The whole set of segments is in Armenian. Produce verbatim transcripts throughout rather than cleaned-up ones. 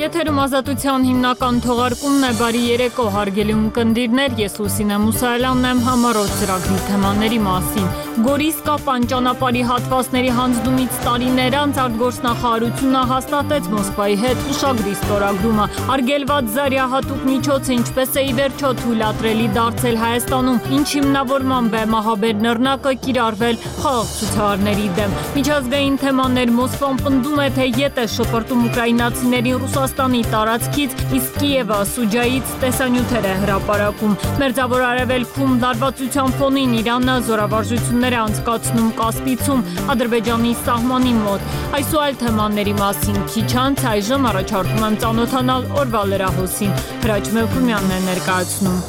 Եթերում ազատության հիմնական թողարկումն է, բարի երեկո, հարգելի ունկնդիրներ, ես Լուսինե Մուսայելյանն եմ, համառոտ ծրագրի թեմաների մասին։ Գորիսկապան ճանապարհի հատվածների հանձնումից տարիներ անց արտգործնախարարությունը հաստատեց Մոսկվայի հետ ուշագրի ստորագրումը։ Արգելված զարյահատուկ միջոցը ինչպես է ի վերջո թույլատրելի դարձել Հայաստանում, ինչ հիմնավորմամբ է մահաբեր նռնակը կիրառվել խաղաղ ցուցարարների դեմ։ Միջազգային թեմաներ Մոսկվան պնդում է, թե ետ է շպրտում ուկրաինացիներին Ռուսաստանի տարածքից, իսկ Կիևը Սուջայից տեսանյութեր է հրապարակում։ Մերձավոր Արևելքում լարվածության ֆոնին Իրանը զորավարժություններ է անցկացնում Կասպիցում, Ադրբեջանի սահմանի մոտ։ Այս ու այլ թեմաների մասին քիչ անց այժմ առաջարկում եմ ծանոթանալ օրվա լրահոսին։ Հրաչ Մելքումյանն է ներկայացնում։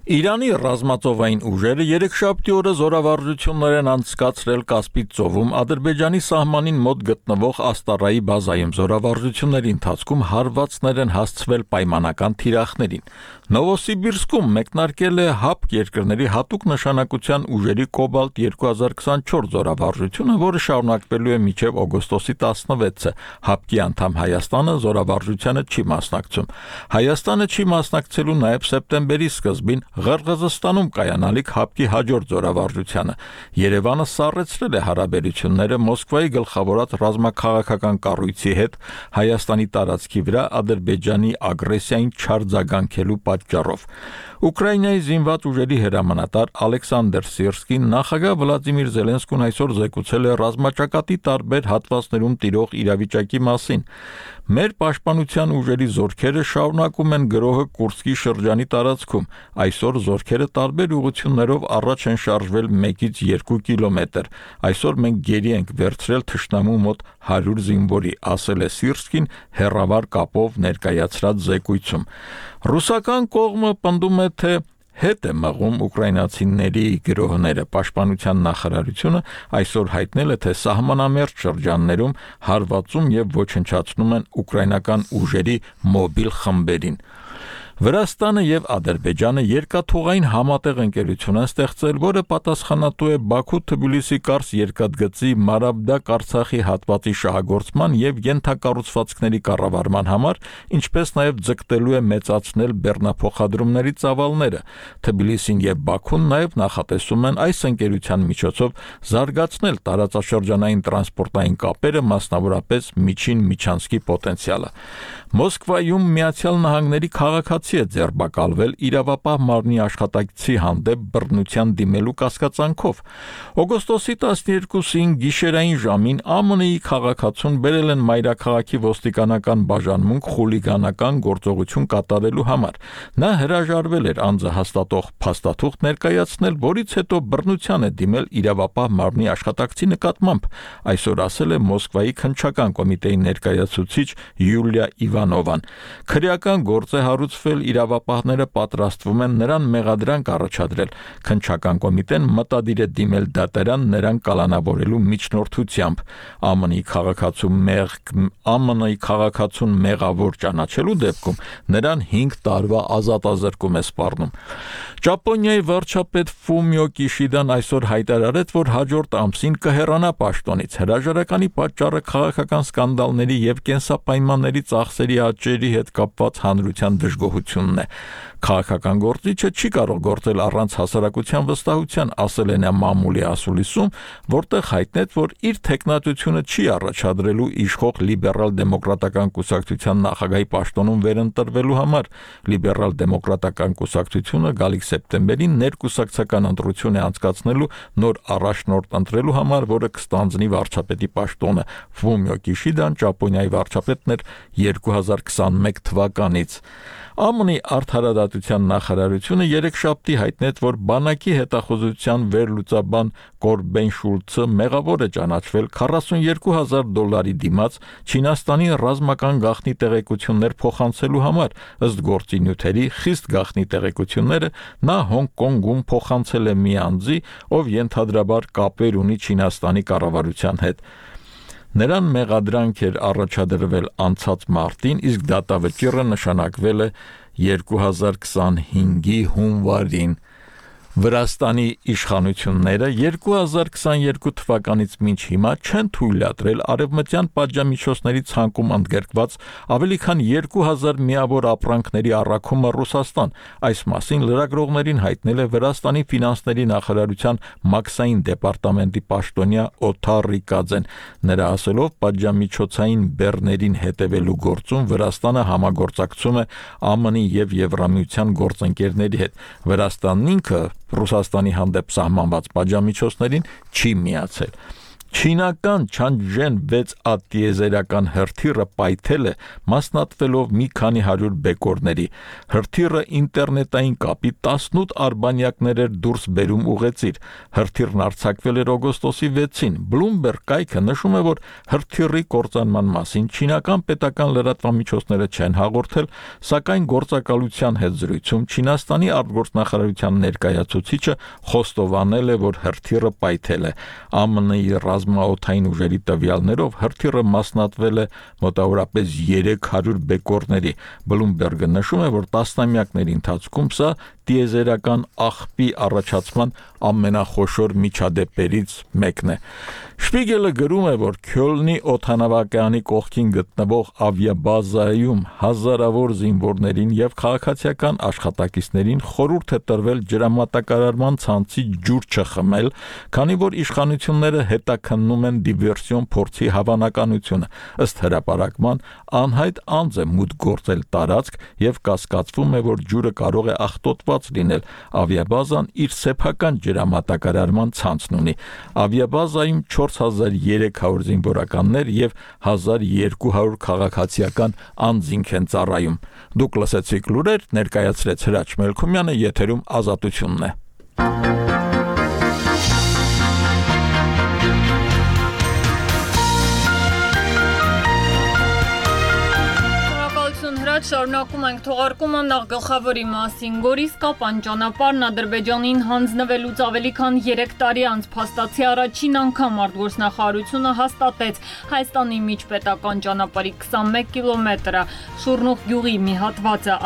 Իրանի ռազմածովային ուժերը երեքշաբթի օրը զորավարժություններ են անցկացրել Կասպից ծովում Ադրբեջանի սահմանին մոտ գտնվող Աստարայի բազայում զորավարժությունների ընթացքում հարվածներ են հասցվել պայմանական թիրախներին։ Նովոսիբիրսկում մեկնարկել է ՀԱՊԿ երկրների հատուկ նշանակության ուժերի Կոբալտ երկու հազար քսանչորս զորավարժությունը, որը շարունակվելու է մինչև օգոստոսի տասնվեցը։ ՀԱՊԿ-ի անդամ Հայաստանը զորավարժությանը չի մասնակցում։ Հայաստանը չի մասնակցելու նաև սեպտեմբերի սկզբին Ղրղզստանում կայանալիք ՀԱՊԿ-ի հաջորդ զորավարժությանը։ Երևանը սառեցրել է հարաբերությունները Մոսկվայի գլխավորած ռազմաքաղաքական կառույցի հետ Հայաստանի տարածքի վրա Ադրբեջանի ագրեսիային չարձագանքելու պատճառով։ Ուկրաինայի զինված ուժերի հրամանատար Ալեքսանդր Սիրսկին նախագահ Վլադիմիր Զելենսկուն այսօր զեկուցել է ռազմաճակատի տարբեր հատվածներում տիրող իրավիճակի մասին։ Մեր պաշտպանության ուժերի զորքերը շարունակում են գրոհը Կուրսկի շրջանի տարածքում։ Այսօր զորքերը տարբեր ուղղություններով առաջ են շարժվել մեկից երկու կիլոմետր։ Այսօր մենք գերի ենք վերցրել թշնամու մոտ հարյուր զինվորի, ասել է Սիրսկին հեռավար կապով ներկայացրած զեկույցում։ Ռուսական կողմը պնդում է, թե հետ է մղում ուկրաինացիների գրոհները։ Պաշտպանության նախարարությունը այսօր հայտնել է, թե սահմանամերձ շրջաններում հարվածում եւ ոչնչացնում են ուկրաինական ուժերի մոբիլ խմբերին։ Վրաստանը եւ Ադրբեջանը երկաթուղային համատեղ ընկերություն են ստեղծել, որը պատասխանատու է Բաքու-Թբիլիսի Կարս երկաթգծի Մարաբդակ Արցախի հատվածի շահագործման եւ ենթակառուցվածքների կառավարման համար, ինչպես նաեւ ձգտելու է մեծացնել բեռնափոխադրումների ծավալները։ Թբիլիսին եւ Բաքուն նաեւ նախատեսում են այս ընկերության միջոցով զարգացնել տարածաշրջանային տրանսպորտային կապերը, մասնավորապես միջին միջանցքի պոտենցիալը։ Մոսկվայում Միացյալ Նահանգների քաղաքացի է ձերբակալվել իրավապահ մարմնի աշխատակցի հանդեպ բռնության դիմելու կասկածանքով։ Օգոստոսի տասներկուսին գիշերային ժամին ԱՄՆ-ի քաղաքացուն բերել են մայրաքաղաքի ոստիկանական բաժանմունք խուլիգանական գործողություն կատարելու համար։ Նա հրաժարվել էր անձը հաստատող փաստաթուղթ ներկայացնել, որից հետո բռնության է դիմել իրավապահ մարմնի աշխատակցի նկատմամբ, այսօր ասել է Մոսկվայի քննչական կոմիտեի ներկայացուցիչ Յուլիա Իվանովան։ Քրեական գործ է հարուցվել, իրավապահները պատրաստվում են նրան մեղադրանք առաջադրել։ Քննչական կոմիտեն մտադիր է դիմել դատարան նրան կալանավորելու միջնորդությամբ։ ԱՄՆ-ի քաղաքացու մեղ ԱՄՆ-ի քաղաքացուն մեղավոր ճանաչելու դեպքում նրան հինգ տարվա ազատազրկում է սպառնում։ Ճապոնիայի վարչապետ Ֆումիո Կիշիդան այսօր հայտարարեց, որ հաջորդ ամսին կհեռանա պաշտոնից։ Հրաժարականի պատճառը քաղաքական սկանդալների եւ կենսապայմանների ծախսերի աճերի հետ կապված հանրության դժգոհությունն է։ Քաղաքական գործիչը չի կարող գործել առանց հասարակության վստահության, ասել է նա մամուլի ասուլիսում, որտեղ հայտնեց, որ իր թեկնածությունը չի առաջադրելու իշխող լիբերալ-դեմոկրատական կուսակցության նախագահի պաշտոնում վերընտրվելու համար։ Լիբերալ-դեմոկրատական կուսակցությունը գալիք սեպտեմբերին ներկուսակցական ընտրություն է անցկացնելու նոր առաջնորդ ընտրելու համար, որը կստանձնի վարչապետի պաշտոնը։ Ֆումիո Կիշիդան Ճապոնիայի վարչապետն էր երկու հազար քսանմեկ թվականից։ ԱՄՆ-ի արդարադատության նախարարությունը երեքշաբթի հայտնեց, որ բանակի հետախուզության վերլուծաբան Կորբեն Շուլցը մեղավոր է ճանաչվել քառասունյոթ հազար դոլարի դիմաց Չինաստանի ռազմական գաղտնի տեղեկություններ փոխանցելու համար։ Ըստ գործի նյութերի խիստ գաղտնի տեղեկությունները նա Հոնկոնգում փոխանցել է մի անձի, ով ենթադրաբար կապեր ունի Չինաստանի կառավարության հետ։ Նրան մեղադրանք էր առաջադրվել անցած մարտին, իսկ դատավճիռը նշանակվել է երկու հազար քսանհինգի հունվարին։ Վրաստանի իշխանությունները երկու հազար քսաներկու թվականից մինչ հիմա չեն թույլատրել արևմտյան պատժամիջոցների ցանկում ընդգրկված ավելի քան երկու հազար միավոր ապրանքների առաքումը Ռուսաստան։ Այս մասին լրագրողներին հայտնել է Վրաստանի ֆինանսների նախարարության մաքսային դեպարտամենտի պաշտոնյա Օթար Ռիկաձեն։ Նրա ասելով, պատժամիջոցային բեռներին հետևելու գործում Վրաստանը համագործակցում է ԱՄՆ-ի եւ Եվրամիության գործընկերների հետ։ Վրաստանն ինքը Ռուսաստանի հանդեպ սահմանված պատժամիջոցներին չի միացել։ Չինական Չանջեն վեց ա տիեզերական հրթիռը պայթել է մասնատվելով մի քանի հարյուր բեկորների։ Հրթիռը ինտերնետային կապի տասնութ արբանյակներ էր դուրս բերում ուղեցիր։ Հրթիռն արձակվել էր օգոստոսի վեցին։ Bloomberg կայքը նշում է, որ հրթիռի կործանման մասին չինական պետական լրատվամիջոցները չեն հաղորդել, սակայն գործակալության հետ զրույցում Չինաստանի արտգործնախարարության ներկայացուցիչը խոստովանել է, որ հրթիռը պայթել է։ ԱՄՆ-ի ռազմաօդային ուժերի տվյալներով հրթիռը մասնատվել է մոտավորապես երեք հարյուր բեկորների։ Bloomberg-ը նշում է, որ տասնամյակների ընթացքում սա տիեզերական աղբի առաջացման ամենախոշոր միջադեպերից մեկն է։ Շպիգելը գրում է, որ Քյոլնի օդանավակայանի կողքին գտնվող ավիաբազայում հազարավոր զինվորներին եւ քաղաքացիական աշխատակիցներին խորհուրդ է տրվել ջրամատակարարման ցանցի ջուր չխմել, քանի որ իշխանությունները հետաքննում են դիվերսիոն փորձի հավանականությունը։ Ըստ հրապարակման, անհայտ անձ է մուտք գործել տարածք եւ կասկածվում է, որ ջուրը կարող է աղտոտված լինել։ Ավիաբազան իր սեփական ջրամատակարարման ցանցն ունի։ Ավիաբազայում չորս հազար երեք հարյուր զինվորականներ եւ հազար երկու հարյուր քաղաքացիական անձինք են ծառայում։ Դուք լսեցիք լուրեր, ներկայացրեց Հրաչ Մելքումյանը, եթերում Ազատությունն է։ Շարունակում ենք թողարկումը նախ գլխավորի մասին։ Գորիս-Կապան ճանապարհն Ադրբեջանին հանձնվելուց ավելի քան երեք տարի անց փաստացի առաջին անգամ արտգործնախարարությունը հաստատեց Հայաստանի միջպետական ճանապարհի քսանմեկ կիլոմետրը Շուռնուղ գյուղի մի հատվածը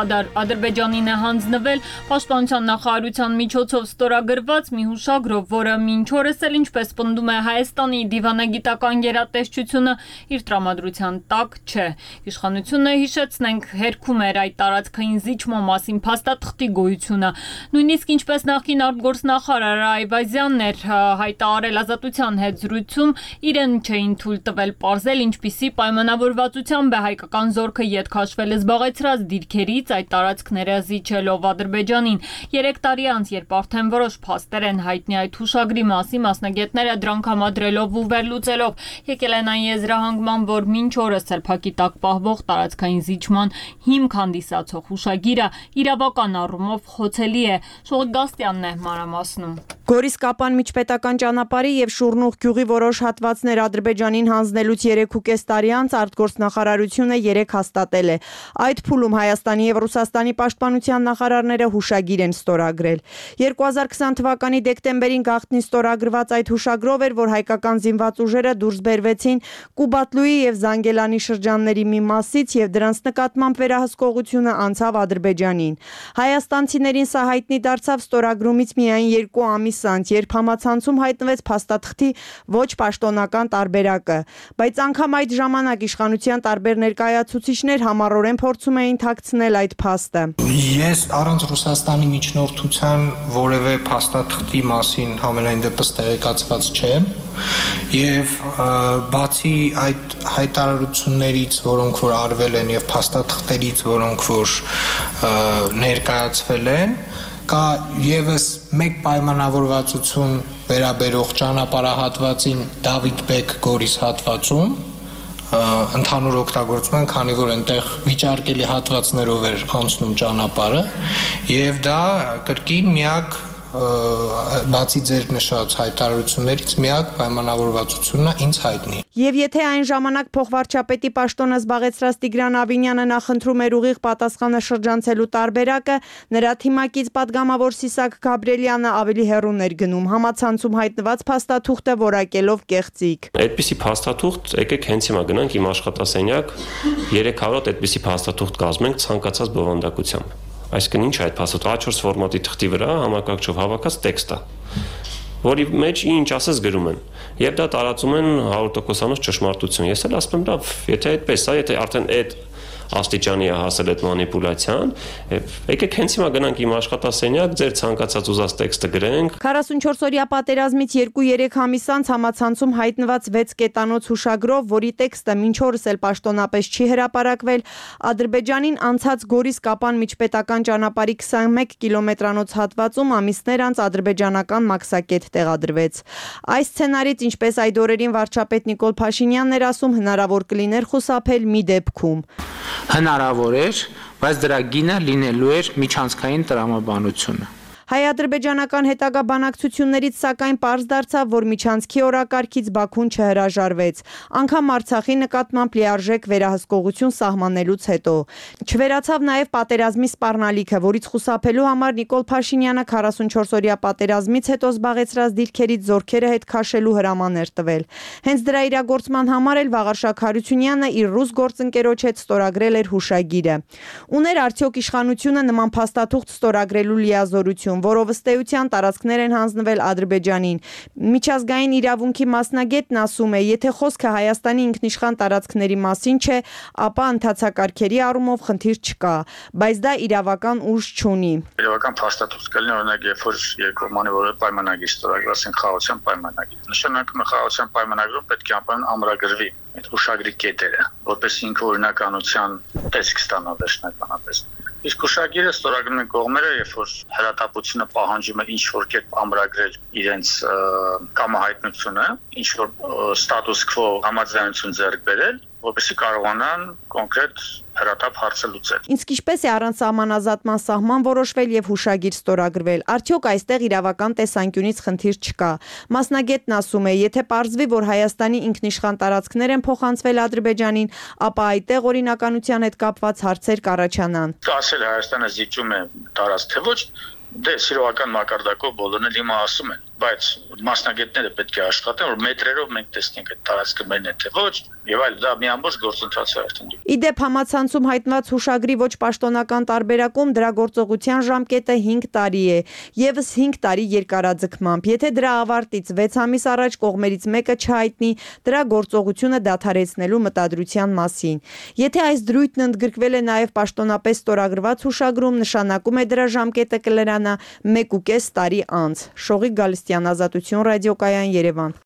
Ադրբեջանին է հանձնվել Պաշտպանության նախարարության միջոցով ստորագրված մի հուշագրով, որը մինչ օրս էլ, ինչպես պնդում է Հայաստանի դիվանագիտական գերատեսչությունը, իր տրամադրության տակ չէ։ Իշխանությունը, հիշեցնենք, հերքում էր այդ տարածքային զիջման մասին փաստաթղթի գոյությունը։ Նույնիսկ ինչպես նախկին արտգործնախարար Այվազյանն էր հայտարարել Ազատության հետ զրույցում, իրեն չէին թույլ տվել պարզել, ինչպիսի պայմանավորվածությամբ է հայկական զորքը ետ քաշվել զբաղեցրած դիրքերից այդ տարածքները զիջելով Ադրբեջանին։ Երեք տարի անց, երբ արդեն որոշ փաստեր են հայտնի այդ հուշագրի մասին, մասնագետները դրանք համադրելով ու վերլուծելով եկել են այն եզրահանգման, որ մինչ օրս սրբակի տակ պահվող տարածքային զիջման հիմք հանդիսացող հուշագիրը իրավական առումով խոցելի է։ Շողիկ Գաստյանն է մանրամասնում։ Գորիս-Կապան միջպետական ճանապարհի եւ Շուռնուղ գյուղի որոշ հատվածներ Ադրբեջանին հանձնելուց երեքուկես տարի անց արտգործնախարարությունը երեք հաստատել է։ Այդ փուլում Հայաստանի եւ Ռուսաստանի պաշտպանության նախարարները հուշագիր են ստորագրել։ երկու հազար քսան թվականի դեկտեմբերին գաղտնի ստորագրված այդ հուշագրով էր, որ հայկական զինված ուժերը դուրս բերվեցին Կուբատլուի եւ Զանգելանի շրջանների մի մասից եւ դրանց նկատմամբ վերահսկողությունը անցավ Ադրբեջանին։ Հայաստանցիներին սա հայտնի դարձավ ստորագրումից միայն երկու ամիս անց, երբ համացանցում հայտնվեց փաստաթղթի ոչ պաշտոնական տարբերակը, բայց անգամ այդ ժամանակ իշխանության տարբեր ներկայացուցիչներ համառորեն փորձում էին թաքցնել այդ փաստը։ Ես առանց Ռուսաստանի միջնորդության որևէ փաստաթղթի մասին համենայն դեպս տեղեկացված չեմ եւ բացի այդ հայտարարություններից, որոնք որ արվել են եւ փաստաթղթերից, որոնք որ ներկայացվել են, կա եւս մեկ պայմանավորվածություն վերաբերող ճանապարհահատվածին Դավիթ Բեկ Գորիս հատվածում ընդհանուր օգտագործման, քանի որ այնտեղ վիճարկելի հատվածներով էր անցնում ճանապարհը եւ դա կրկին միակ բացի ձեր նշած հայտարարություններից միակ պայմանավորվածությունն է ինձ հայտնի։ Եվ եթե այն ժամանակ փոխվարչապետի պաշտոնը զբաղեցրած Տիգրան Ավինյանը նախընտրում էր ուղիղ պատասխանը շրջանցելու տարբերակը, նրա թիմակից падգամավոր Սիսակ Գաբրելյանը ավելի հեռուն էր գնում, համացանցում հայտնված փաստաթուղթը որակելով կեղծիք։ Այդպիսի փաստաթուղթ, եկեք հենց հիմա գնանք իմ աշխատասենյակ, երեք հարյուր այդպիսի փաստաթուղթ կազմենք ցանկացած բովանդակությամբ։ Այսինքն ինչ է այդ փաստաթուղթը A չորս ֆորմատի թղթի վրա համակարգչով հավաքած տեքստ է, որի մեջ ինչ ասես գրում են, եւ դա տարածում են հարյուր տոկոսանոց ճշմարտություն։ Ես էլ ասում եմ, լավ, եթե այդպես է, եթե արդեն այդ աստիճանի է հասել այդ մանիպուլյացիան, եկեք հենց հիմա գնանք իմ աշխատասենյակ, ձեր ցանկացած ուզած տեքստը գրենք։ քառասունչորս-օրյա պատերազմից երկու-երեք ամիս անց համացանցում հայտնված վեց կետանոց հուշագրով, որի տեքստը մինչ օրս էլ պաշտոնապես չի հրապարակվել, Ադրբեջանին անցած Գորիս-Կապան միջպետական ճանապարհի քսանմեկ կիլոմետրանոց հատվածում ամիսներ անց ադրբեջանական մաքսակետ տեղադրվեց։ Այս սցենարից, ինչպես այդ օրերին վարչապետ Նիկոլ Փաշինյանն էր ասում, հնարավոր կլիներ խուսափել մի դեպքում։ Հնարավոր էր, բայց դրա գինը լինելու էր միջանցքային տրամաբանությունը։ Հայ-ադրբեջանական հետագա բանակցություններից սակայն պարզ դարձավ, որ միջանցքի օրակարգից Բաքուն չհրաժարվեց, անգամ Արցախի նկատմամբ լիարժեք վերահսկողություն սահմանելուց հետո։ Չվերացավ նաև պատերազմի սպառնալիքը, որից խուսափելու համար Նիկոլ Փաշինյանը քառասունչորս-օրյա պատերազմից հետո զբաղեցրած դիրքերից զորքերը հետ քաշելու հրաման էր տվել։ Հենց դրա իրագործման համար էլ Վաղարշակ Հարությունյանը իր ռուս գործընկերոջ հետ ստորագրել էր հուշագիրը։ Ուներ արդյոք իշխանությունը նման փաստաթուղթ ստորագրելու լիազորություն, որով ըստ էության տարածքներ են հանձնվել Ադրբեջանին։ Միջազգային իրավունքի մասնագետն ասում է, եթե խոսքը Հայաստանի ինքնիշխան տարածքների մասին չէ, ապա ընթացակարգերի առումով խնդիր չկա, բայց դա իրավական ուժ չունի։ Իրավական փաստաթուղթ կլինի, օրինակ, երբ որ երկկողմանի որևէ պայմանագիր ստորագրված են խաղաղության պայմանագիր։ Նշանակում է խաղաղության պայմանագրում պետք է անպայման ամրագրվի այդ հուշագրի կետերը, որպես ինքը օրինականության տեսք ստանա վերջնականապես։ Իսկ հուշագիրը ստորագրում են կողմերը, երբ որ հրատապությունը պահանջում է ինչ-որ կերպ ամրագրել իրենց կամահայտնությունը, ինչ-որ ստատուս քվո համաձայնություն ձեռք բերել, որպեսզի կարողանան կոնկրետ հրատապ հարցը լուծել։ Իսկ ինչպես է առանց սահմանազատման սահման որոշվել եւ հուշագիր ստորագրվել։ Արդյոք այստեղ իրավական տեսանկյունից խնդիր չկա։ Մասնագետն ասում է, եթե պարզվի, որ Հայաստանի ինքնիշխան տարածքներ են փոխանցվել Ադրբեջանին, ապա այդտեղ օրինականության հետ կապված հարցեր կառաջանան։ Ասել Հայաստանը զիջում է տարածք, թե ոչ, դե սիրողական մակարդակով բոլորն էլ հիմա ասում են, բայց մասնագետները պետք է աշխատեն, որ մետրերով մենք տեսնենք այդ տարածքը մենն է թե ոչ, եւ այլ դա մի ամբողջ գործընթաց է արդեն։ Իդեպ համացանցում հայտնված հուշագրի ոչ պաշտոնական տարբերակում դրա գործողության ժամկետը հինգ տարի է, եւս հինգ տարի երկարաձգմամբ։ Եթե դրա ավարտից վեց ամիս առաջ կողմերից մեկը չհայտնի դրա գործողությունը դադարեցնելու մտադրության մասին։ Եթե այս դրույթն ընդգրկվել է նաեւ պաշտոնապես ստորագրված հուշագրում, նշանակում է դրա ժամկետը կլրանա մեկ ու կես տարի անց։ Շողիկ Գալստյան, Ազատություն ռադիոկայան, Երևան։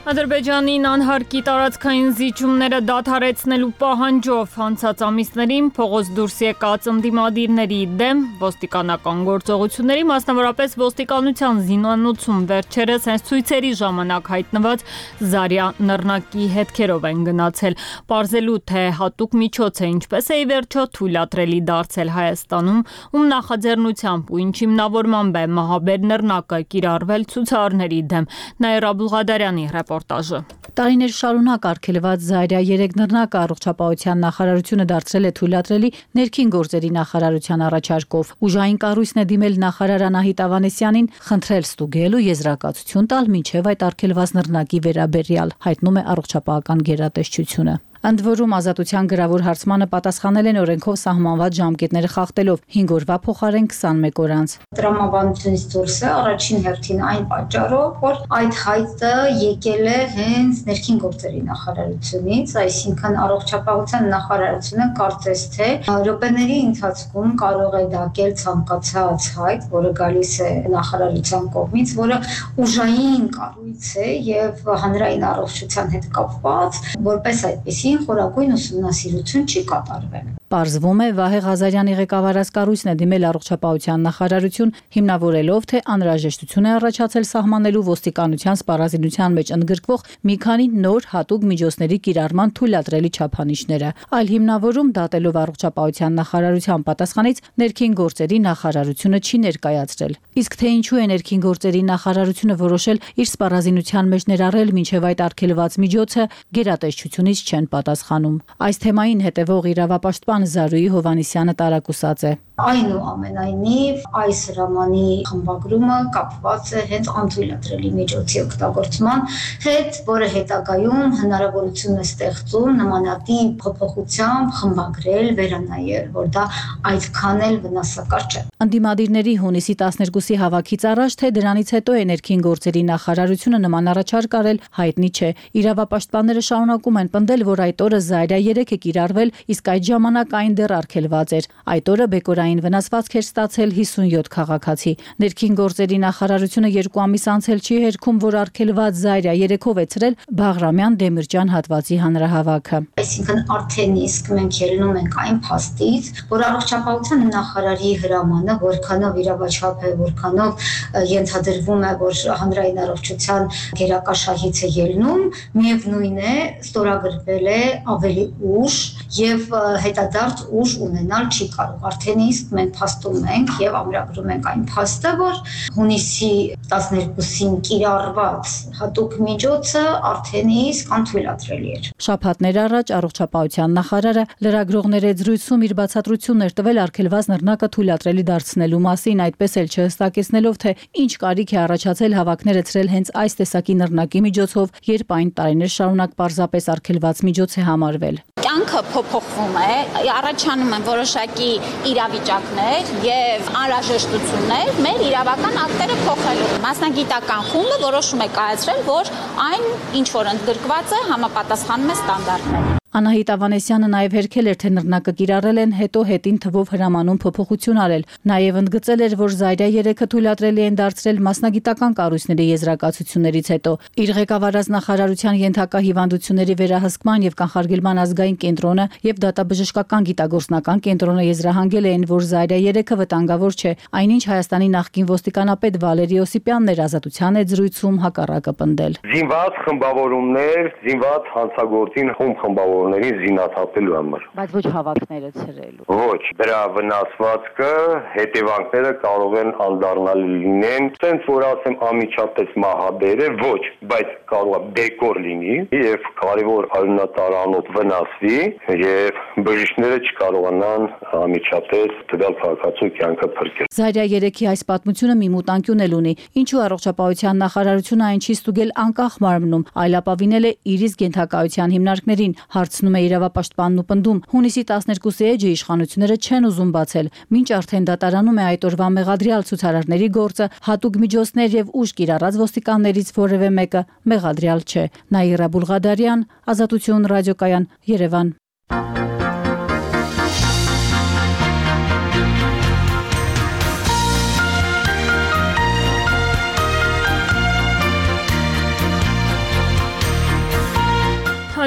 Ադրբեջանին անհարկի տարածքային զիջումները դադարեցնելու պահանջով անցած ամիսներին փողոց դուրս եկած ընդդիմադիրների դեմ ոստիկանական գործողությունների, մասնավորապես ոստիկանության զինանոցում վերջերս հենց ցույցերի ժամանակ հայտնված Զարյա նռնակի հետքերով են գնացել, պարզելու թե հատուկ միջոց է ինչպես է ի վերջո թույլատրելի դարձել Հայաստանում, ում նախաձեռնությամբ ու ինչ հիմնավորմամբ է մահաբեր նռնակը կիրառվել ցուցարարների դեմ։ Նաիրա Բուլղադարյանի ռեպորտաժը։ Տարիներ շարունակ արգելված Զարյա երեք նռնակը առողջապահության նախարարությունը դարձրել է թույլատրելի ներքին գործերի նախարարության առաջարկով։ Ուժային կառույցն է դիմել նախարար Անահիտ Ավանեսյանին խնդրել ստուգել ու եզրակացություն տալ մինչև այդ արգելված նռնակի վերաբերյալ, հայտնում է առողջապահական գերատեսչությունը։ Ընդ որում ազատության գրավոր հարցմանը պատասխանել են օրենքով սահմանված ժամկետները խախտելով հինգ օրվա փոխարեն քսանմեկ օր անց։ Տրամաբանությունից դուրս է առաջին հերթին այն պատճառով, որ այդ հայտը եկել է հենց ներքին գործերի նախարարությունից, այսինքն առողջապահության նախարարությունը կարծես թե րոպեների ընթացքում կարող է դակել ցանկացած հայտ, որը գալիս է նախարարության կողմից, որը ուժային կառույց է եւ հանրային առողջության հետ կապված, որպես այդպես խորագույն ուսումնասիրություն չի կատարվել։ Պարզվում է Վահե Ղազարյանի ղեկավարած կառույցն է դիմել առողջապահության նախարարություն, հիմնավորելով, թե անհրաժեշտություն է առաջացել սահմանելու ոստիկանության սպառազինության մեջ ընդգրկվող մի քանի նոր հատուկ միջոցների կիրառման թույլատրելի չափանիշները, այլ հիմնավորում դատելով առողջապահության նախարարության պատասխանից ներքին գործերի նախարարությունը չի ներկայացրել։ Իսկ թե ինչու է ներքին գործերի նախարարությունը որոշել իր սպառազինության մեջ ներառել մինչև այդ արգելված միջոցը, գերատեսչությունից չեն պատասխանում։ Այս թեմային հետևող իրավապաշտպան Զարուհի Հովհաննիսյանը տարակուսած է։ Այնուամենայնիվ, այս հրամանի խմբագրումը կապված է հենց անթույլատրելի միջոցի օգտագործման հետ, որը հետագայում հնարավորություն է ստեղծում նմանատիպ փոփոխությամբ խմբագրել, վերանայել, որ դա այդքան էլ վնասակար չէ։ Անդիմադիրների հունիսի տասներկուսի հավաքից առաջ, թե դրանից հետո է ներքին գործերի նախարարությունը նման առաջարկ արել, հայտնի չէ։ Իրավապաշտպանները շարունակում են պնդել, որ այդ օրը Զայրա երեք է կիրառվել, իսկ այդ ժամանակ այն դեռ արգելված էր։ Այդ օրը բեկորային վնասվածք էր ստացել հիսունյոթ քաղաքացի։ Ներքին գործերի նախարարությունը երկու ամիս անց էլ չի հերքում, որ արգելված Զայրա երեքով է ցրել Բաղրամյան Դեմիրճան հատվածի հանրահավաքը։ Այսինքն արդեն իսկ մենք ելնում ենք այն փաստից, որ առողջապահության նախարարի հրամանը որքանով իրավաչափ է, որքանով ենթադրվում է, որ հանրային առողջության գերակաշահից է ելնում, միևնույն է, ստորագրվել է ավելի ուշ եւ հետադարձ ուժ ունենալ չի կարող։ Արդեն իսկ մենք փաստում ենք եւ ամրագրում ենք այն փաստը, որ հունիսի տասներկուսին կիրառված հատուկ միջոցը արդեն իսկ անթույլատրելի էր։ Շաբաթներ առաջ առողջապահության նախարարը լրագրողների զրույցում իր բացատրությունն էր տվել արգելված նռնակը թույլատրելի դարձնելու մասին, այդպես էլ չհստակեցնելով, թե ինչ կարիք է առաջացել հավաքները ցրել հենց այս տեսակի նռնակի միջոցով, երբ այն տարիներ շարունակ պարզապես արգելված միջոց է համարվել։ Կյանքը փոփոխվում է, առաջանում են որոշակի իրավիճակներ եւ անհրաժեշտություններ մեր իրավական ակտերը փոխելու։ Մասնագիտական խումբը որոշում է կայացրել, որ այն ինչ որ ընդգրկված է, համապատասխանում է ստանդարտներին։ Անահիտ Ավանեսյանը նաև հերքել էր, թե նռնակը կիրառել են, հետո հետին թվով հրամանում փոփոխություն արել։ Նաև ընդգծել էր, որ Զայրա երեքը թույլատրելի են դարձրել մասնագիտական կառույցների եզրակացություններից հետո։ Իր ղեկավարած նախարարության ենթակա հիվանդությունների վերահսկման եւ կանխարգելման ազգային կենտրոնը եւ դատաբժշկական գիտագործնական կենտրոնը եզրահանգել էին, որ Զայրա երեքը վտանգավոր չէ, այնինչ Հայաստանի նախկին ոստիկանապետ Վալերի Օսիպյանն էր Ազատության հետ զրույցում հակառակը պնդել։ Զինված խմբավորումներ, զինված հանցագործին խումբ խմբավոր զինաթափելու համար, բայց ոչ հավաքները ցրելու։ Ոչ, դրա վնասվածքը, հետևանքները կարող են անդառնալ լինեն, ցենց որ ասեմ անմիջապես մահաբեր է, ոչ, բայց կարող է բեկոր լինի եւ կարևոր արյունատարանոթ վնասվի եւ բժիշկները չկարողանան անմիջապես տվյալ քաղաքացու կյանքը փրկել։ Զայրա երեքի այս պատմությունը մի մուտանկյուն էլ ունի, ինչու առողջապահության նախարարությունը այն չի ստուգել անկախ մարմնում, այլ ապավինել է իր իսկ ենթակայության հիմնարկներին։ Հարցնում է իրավապաշտպանն ու պնդում, հունիսի տասներկուսի էջը իշխանությունները չեն ուզում բացել, մինչ արդեն դատարանում է այդ օրվա մեղադրյալ ցուցարարների գործը, հատուկ միջոցներ եւ ուժ կիրառած ոստիկաններից որևէ մեկը մեղադրյալ չէ։ Նաիրա Բուլղադարյան, Ազատություն ռադիոկայան, Երևան։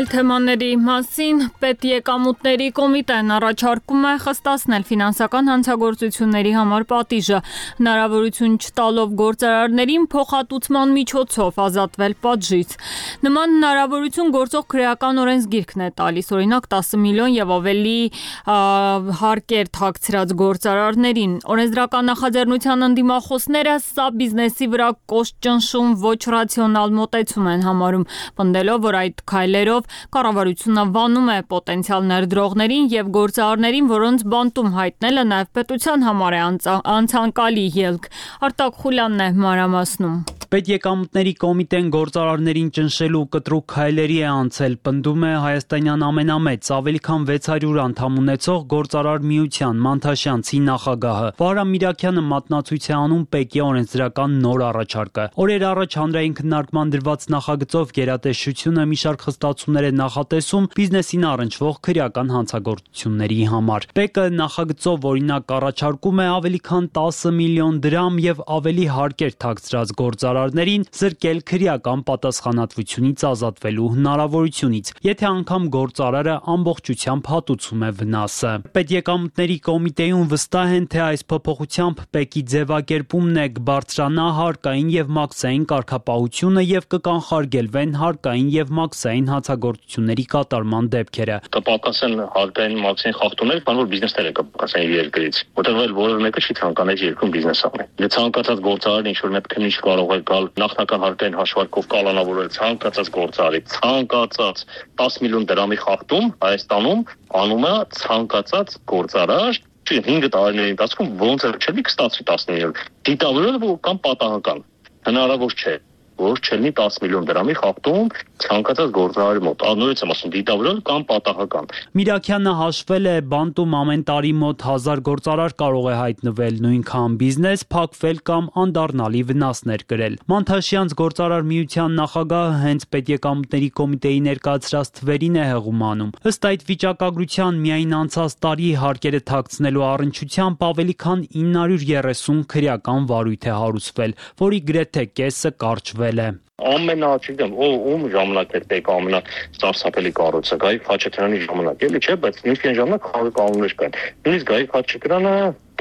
Այլ թեմաների մասին պետեկամուտների կոմիտեն առաջարկում է խստացնել ֆինանսական հանցագործությունների համար պատիժը, հնարավորություն չտալով գործարարներին փոխհատուցման միջոցով ազատվել պատժից։ Նման հնարավորություն գործող քրեական օրենսգիրքն է տալիս, օրինակ տասը միլիոն եւ ավելի հարկեր թաքցրած գործարարներին։ Օրենսդրական նախաձեռնության ընդդիմախոսները սա բիզնեսի վրա կոշտ ճնշում, ոչ ռացիոնալ մոտեցում են համարում, պնդելով, որ այդ քայլերով կառավարությունը վանում է պոտենցիալ ներդրողներին եւ գործարարներին, որոնց բանտում հայտնելը նաեւ պետության համար է անցանկալի ելք։ Արտակ Խուլյանն է մանրամասնում։ Պետեկամուտների կոմիտեն գործարարներին ճնշելու կտրուկ քայլերի է անցել, պնդում է հայաստանյան ամենամեծ, ավելի քան վեց հարյուր անդամ ունեցող գործարար միության Մանթաշյանցի նախագահը։ Վահրամ Միրաքյանը մատնացույց է անում ՊԵԿ-ի օրենսդրական նոր առաջարկը։ Օրեր առաջ հանրային քննարկման դրված նախագծով գերատեսչությունը մի շարք խստացումներ է նախատեսում բիզնեսին առնչվող քրեական հանցագործությունների համար։ ՊԵԿ-ը նախագծով օրինակ առաջարկում է ավելի քան տասը միլիոն դրամ եւ ավելի հարկեր թաքցրած գործարար զրկել քրեական պատասխանատվությունից ազատվելու հնարավորությունից, եթե անգամ գործարարը ամբողջությամբ հատուցում է վնասը։ Պետեկամուտների կոմիտեում վստահ են, թե այս փոփոխությամբ ՊԵԿ-ի ձևակերպումն է կբարձրանա հարկային եւ մաքսային կարգապահությունը եւ կկանխարգելվեն հարկային եւ մաքսային հանցագործությունների կատարման դեպքերը։ Կպակասեն հարկային մաքսային խախտումներ, բան որ բիզնեսները կպակասեն իր երկրից, որտեղ որևէ մեկը չի ցանկանա երկրում բիզնես անել։ Եթե ցանկացած գործարար ինչ որ մեկը քննիչ կարող է նախնական հարկային հաշվարկով կալանավորել ցանկացած գործարարի ցանկացած տասը միլիոն դրամի խախտում Հայաստանում անում է ցանկացած գործարար հինգ տարիների ընթացքում ոնց էլ չէ կստացվի տասնինը դիտավորել կամ պատահական հնարավոր չէ որ չլինի տասը միլիոն դրամի խախտում ցանկացած գործարարի մոտ անորից եմ ասում դիտավորել կամ պատահական Միրաքյանը հաշվել է բանտում ամեն տարի մոտ հազար գործարար կարող է հայտնվել նույնքան բիզնես փակվել կամ անդառնալի վնասներ կրել Մանթաշյանց գործարար միության նախագահը հենց պետեկամուտների կոմիտեի ներկայացրած թվերին է հեղում անում ըստ այդ վիճակագրության միայն անցած տարի հարկերը թաքցնելու առնչությամբ ավելի քան ինը հարյուր երեսուն քրեական վարույթ է հարուցվել որի գրեթե կեսը կարճվել Ամենաչիգեմ ում ժամանակ էր պետք ամենա սարսափելի կառույցը Գայիկ Խաչատրյանի ժամանակ էլի չէ բայց նույնիսկ ժամանակ խաղի կանոններ կային նույնիսկ Գայիկ Խաչատրյանը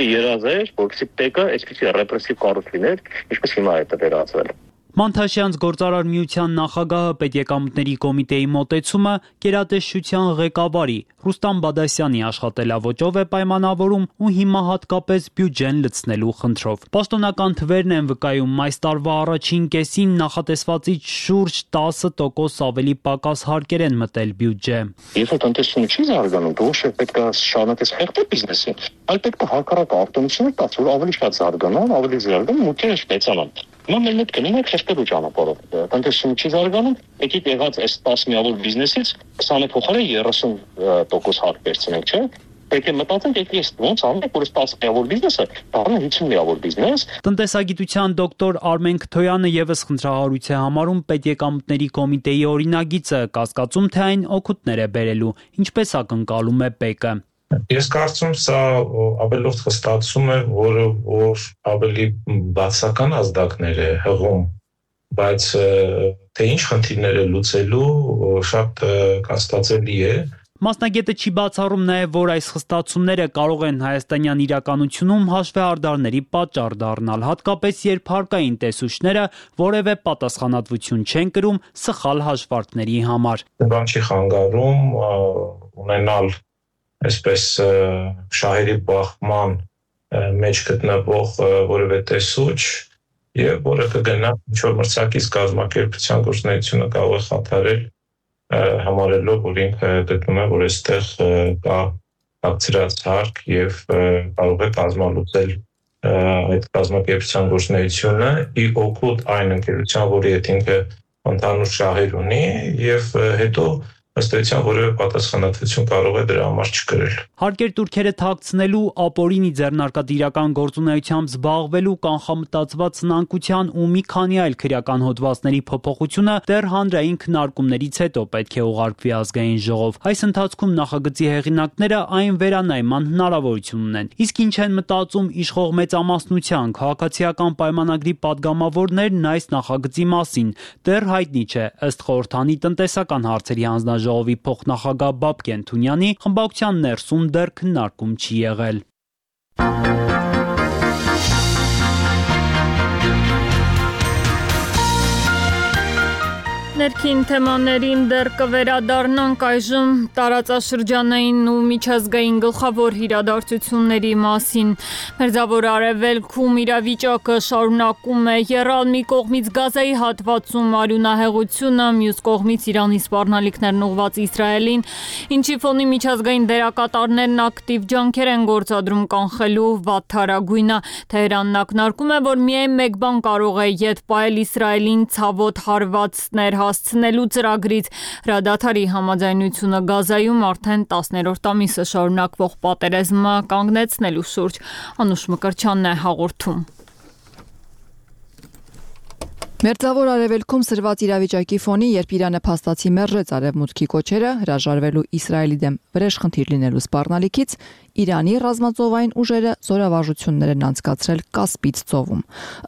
երազեր որպեսզի պետքը այսպիսի ռեպրեսիվ կառույց լիներ ինչպես հիմա է դա վերածվել Մանթաշյանց գործարար միության նախագահը պետեկամուտների կոմիտեի մոտեցումը գերատեսչության ղեկավարի Ռուստամ Բադասյանի աշխատելավոճով է պայմանավորում ու հիմա հատկապես բյուջեն լցնելու խնդրով Պաշտոնական թվերն են վկայում այս տարվա առաջին կեսին նախատեսվածից շուրջ տասը տոկոս ավելի պակաս հարկեր են մտել բյուջե Երբ որ տնտեսությունը չի զարգանում ոչ է պետք է շարունակես խեղդել բիզնեսին այլ պետք է հակառակ արտոնությունը տաց որ ավելի շատ զարգանան ավելի զարգան մուտքերը մեծանան Հիմա մեր մոտ կնենք խեղդելու ճանապարհով տնտեսությունը չի զարգանում եկեք եղած այս տասը միավոր բիզնեսից քսանը փոխարեն երեսուն տոկոս հարկ վերցնենք չէ Պետք է մտածենք եկեք ոնց անենք որ այս տասը միավոր բիզնեսը դառնա հինգ միավոր բիզնես Տնտեսագիտության դոկտոր Արմեն Քթոյանը եւս խնդրահարույց է համարում պետեկամուտների կոմիտեի օրինագիծը կասկածում թե այն օգուտներ է բերելու ինչպես ակնկալում է ՊԵԿ-ը Ես կարծում սա ավելորդ խստացում է, որը որ ավելի բացական ազդակներ է հղում, բայց թե ինչ խնդիրներ է լուծելու շատ կասկածելի է Մասնագետը չի բացառում նաև, որ այս խստացումները կարող են հայաստանյան իրականությունում հաշվեհարդարների պատճառ դառնալ, հատկապես երբ հարկային տեսուչները որևէ պատասխանատվություն չեն կրում սխալ հաշվարկների համար։ Բան չի խանգարում ունենալ այսպես շահերի բախման մեջ գտնվող որևէ տեսուչ եւ որը կգնա ինչ-որ մրցակից կազմակերպության գործունեությունը կարող է խաթարել համարելով որ ինքը գտնում է որ այստեղ կա ակցիաց հարկ եւ կարող է կազմալուծել այդ կազմակերպության գործունեությունը ի օգուտ այն ընկերության որի հետ ինքը ընդհանուր շահեր ունի եւ հետո ըստ էության որևէ պատասխանատվություն կարող է դրա համար չկրել։ Հարկեր տուրքերը թաքցնելու, ապօրինի ձեռնարկատիրական գործունեությամբ զբաղվելու, կանխամտածված սնանկության ու մի քանի այլ քրեական հոդվածների փոփոխությունը դեռ հանրային քննարկումներից հետո պետք է ուղարկվի ազգային ժողով։ Այս ընթացքում նախագծի հեղինակները այն վերանայման հնարավորություն ունեն։ Իսկ ինչ են մտածում իշխող մեծամասնության քաղաքացիական պայմանագրի падգամավորներն այս նախագծի մասին, դեռ հայտնի չէ, ըստ խորհրդանի տնտեսական հարցերի հանձնաժողովի փոխնախագահ Բաբկեն Թունյանի, խմբակցության ներսում դեռ քննարկում չի եղել։ Ներքին թեմաներին դեռ կվերադառնանք այժմ տարածաշրջանային ու միջազգային գլխավոր իրադարձությունների մասին։ Մերձավոր Արևելքում իրավիճակը շարունակում է եռալ մի կողմից Գազայի հատվածում արյունահեղությունը, մյուս կողմից Իրանի սպառնալիքներն ուղղված Իսրայելին, ինչի ֆոնի միջազգային դերակատարներն ակտիվ ջանքեր են գործադրում կանխելու վատթարագույնը։ Թեհրանն ակնարկում է, որ միայն մեկ բան կարող է ետ պահել Իսրայելին ցավոտ հարվածներ հասցնելու ծրագրից։ Հրադադարի համաձայնությունը Գազայում արդեն տասներորդ ամիսը շարունակվող պատերազմը կանգնեցնելու շուրջ։ Անուշ Մկրտչյանն է հաղորդում։ Մերձավոր Արևելքում սրված իրավիճակի ֆոնի, երբ Իրանը փաստացի մերժեց արևմուտքի կոչերը հրաժարվելու Իսրայելի դեմ վրեժխնդիր լինելու սպառնալիքից, Իրանի ռազմածովային ուժերը զորավարժություններ են անցկացրել Կասպից ծովում։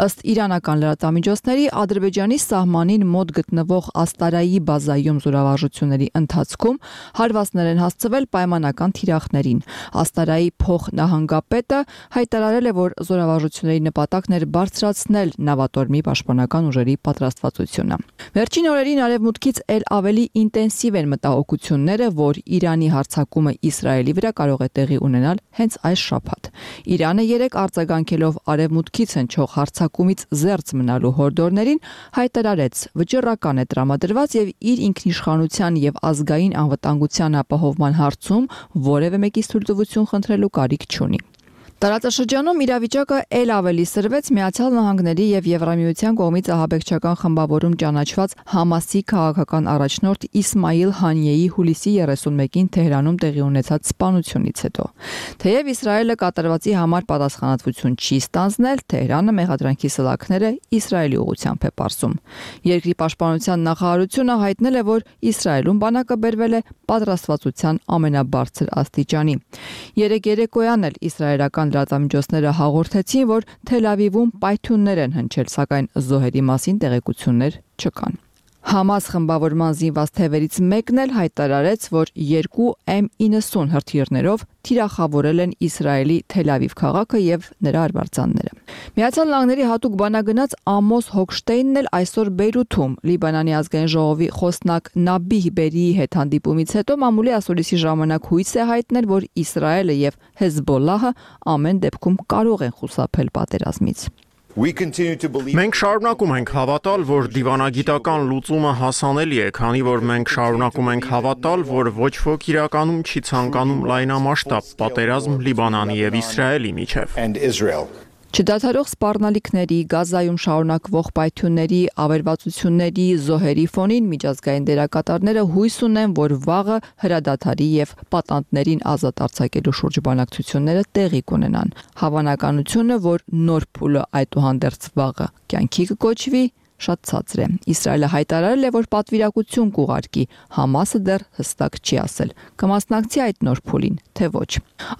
Ըստ իրանական լրատվամիջոցների, Ադրբեջանի սահմանին մոտ գտնվող Աստարայի բազայում զորավարժությունների ընթացքում հարվածներ են հասցվել պայմանական թիրախներին։ Աստարայի փոխնահանգապետը հայտարարել է, որ զորավարժությունների նպատակն էր բարձրացնել նավատորմի պաշտպանական ուժերի ուժերի պատրաստվածությունը։ Վերջին օրերին Արևմուտքից ել ավելի ինտենսիվ են մտահոգությունները, որ Իրանի հարձակումը Իսրայելի վրա կարող է տեղի ունենալ հենց այս շաբաթ։ Իրանը երեք արձագանքելով Արևմուտքից հնչող հարձակումից զերծ մնալու հորդորներին հայտարարեց վճռական է տրամադրված եւ իր ինքնիշխանության եւ ազգային անվտանգության ապահովման հարցում որևէ մեկից թույլտվություն խնդրելու կարիք չունի։ Տարածաշրջանում իրավիճակը ել ավելի սրվեց Միացյալ Նահանգների եւ Եվրամիության կողմից ահաբեկչական խմբավորում ճանաչված Համասի քաղաքական առաջնորդ Իսմայիլ Հանիեի հուլիսի երեսունմեկին Թեհրանում տեղի ունեցած սպանությունից հետո։ Թեև Իսրայելը կատարվածի համար պատասխանատվություն չի ստանձնել, Թեհրանը մեղադրանքի սլաքները Իսրայելի ուղղությամբ է պարզում։ Երկրի պաշտպանության նախարարությունը հայտնել է, որ Իսրայելում բանակը բերվել է պատրաստվածության ամենաբարձր աստիճանի։ Երեք երեկոյան էլ իսրայելական լրատվամիջոցները հաղորդեցին, որ Թել Ավիվում պայթյուններ են հնչել, սակայն զոհերի մասին տեղեկություններ չկան։ Համաս խմբավորման զինված թևերից մեկն էլ հայտարարեց, որ երկու էմ իննսուն հրթիռներով թիրախավորել են Իսրայելի Թել Ավիվ քաղաքը եւ նրա արվարձանները։ Միացյալ Նահանգների հատուկ բանագնաց Ամոս Հոքշտեյնն էլ այսօր Բեյրութում Լիբանանի ազգային ժողովի խոսնակ Նաբիհ Բերիի հետ հանդիպումից հետո մամուլի ասուլիսի ժամանակ հույս է հայտնել, որ Իսրայելը եւ Հեզբոլլահը ամեն դեպքում կարող են խուսափել պատերազմից։ Մենք շարունակում ենք հավատալ, որ դիվանագիտական լուծումը հասանելի է, քանի որ մենք շարունակում ենք հավատալ, որ ոչ ոք իրականում չի ցանկանում լայնամասշտաբ պատերազմ Լիբանանի եւ Իսրայելի միջև։ Չդադարող սպառնալիքների, Գազայում շարունակվող պայթյունների, ավերածությունների, զոհերի ֆոնին միջազգային դերակատարները հույս ունեն, որ վաղը հրադադարի եւ պատանդներին ազատ արձակելու շուրջ բանակցությունները տեղի կունենան։ Հավանականությունը, որ նոր փուլը այդուհանդերձ վաղը կյանքի կկոչվի, շատ ցածր է։ Իսրայելը հայտարարել է, որ պատվիրակություն կուղարկի, Համասը դեռ հստակ չի ասել։ Կմասնակցի այդ նոր փուլին, թե ոչ։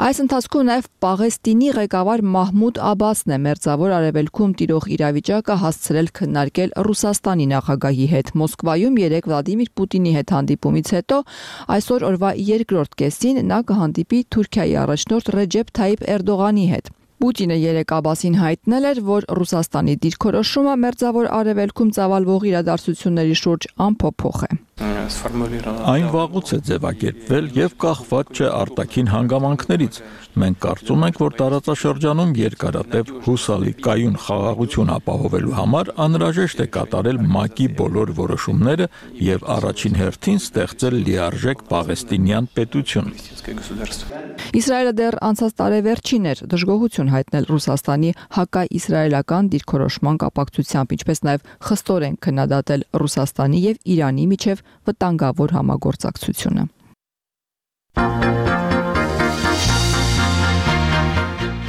Այս ընթացքում նաև Պաղեստինի ղեկավար Մահմուդ Աբասն է մերձավոր արևելքում տիրող իրավիճակը հասցրել քննարկել Ռուսաստանի նախագահի հետ։ Մոսկվայում երեկ Վլադիմիր Պուտինի հետ հանդիպումից հետո այսօր օրվա երկրորդ կեսին նա կհանդիպի Թուրքիայի առաջնորդ Ռեջեփ Թայիփ Էրդողանի հետ։ Պուտինը երեկ Աբասին հայտնել էր, որ Ռուսաստանի դիրքորոշումը մերձավոր արևելքում ծավալվող իրադարձությունների շուրջ անփոփոխ է։ Այն վաղուց է ձևակերպվել եւ կախված չէ արտաքին հանգամանքներից։ Մենք կարծում ենք, որ տարածաշրջանում երկարատև հուսալի կայուն խաղաղություն ապահովելու համար անհրաժեշտ է կատարել ՄԱԿ-ի բոլոր որոշումները եւ առաջին հերթին ստեղծել լիարժեք պաղեստինյան պետություն։ Իսրայելը դեռ անցած տարեվերջին էր դժգոհություն հայտնել Ռուսաստանի հակաիսրայելական դիրքորոշման կապակցությամբ, ինչպես նաև խստորեն քննադատել Ռուսաստանի եւ Իրանի միջև վտանգավոր համագործակցությունը։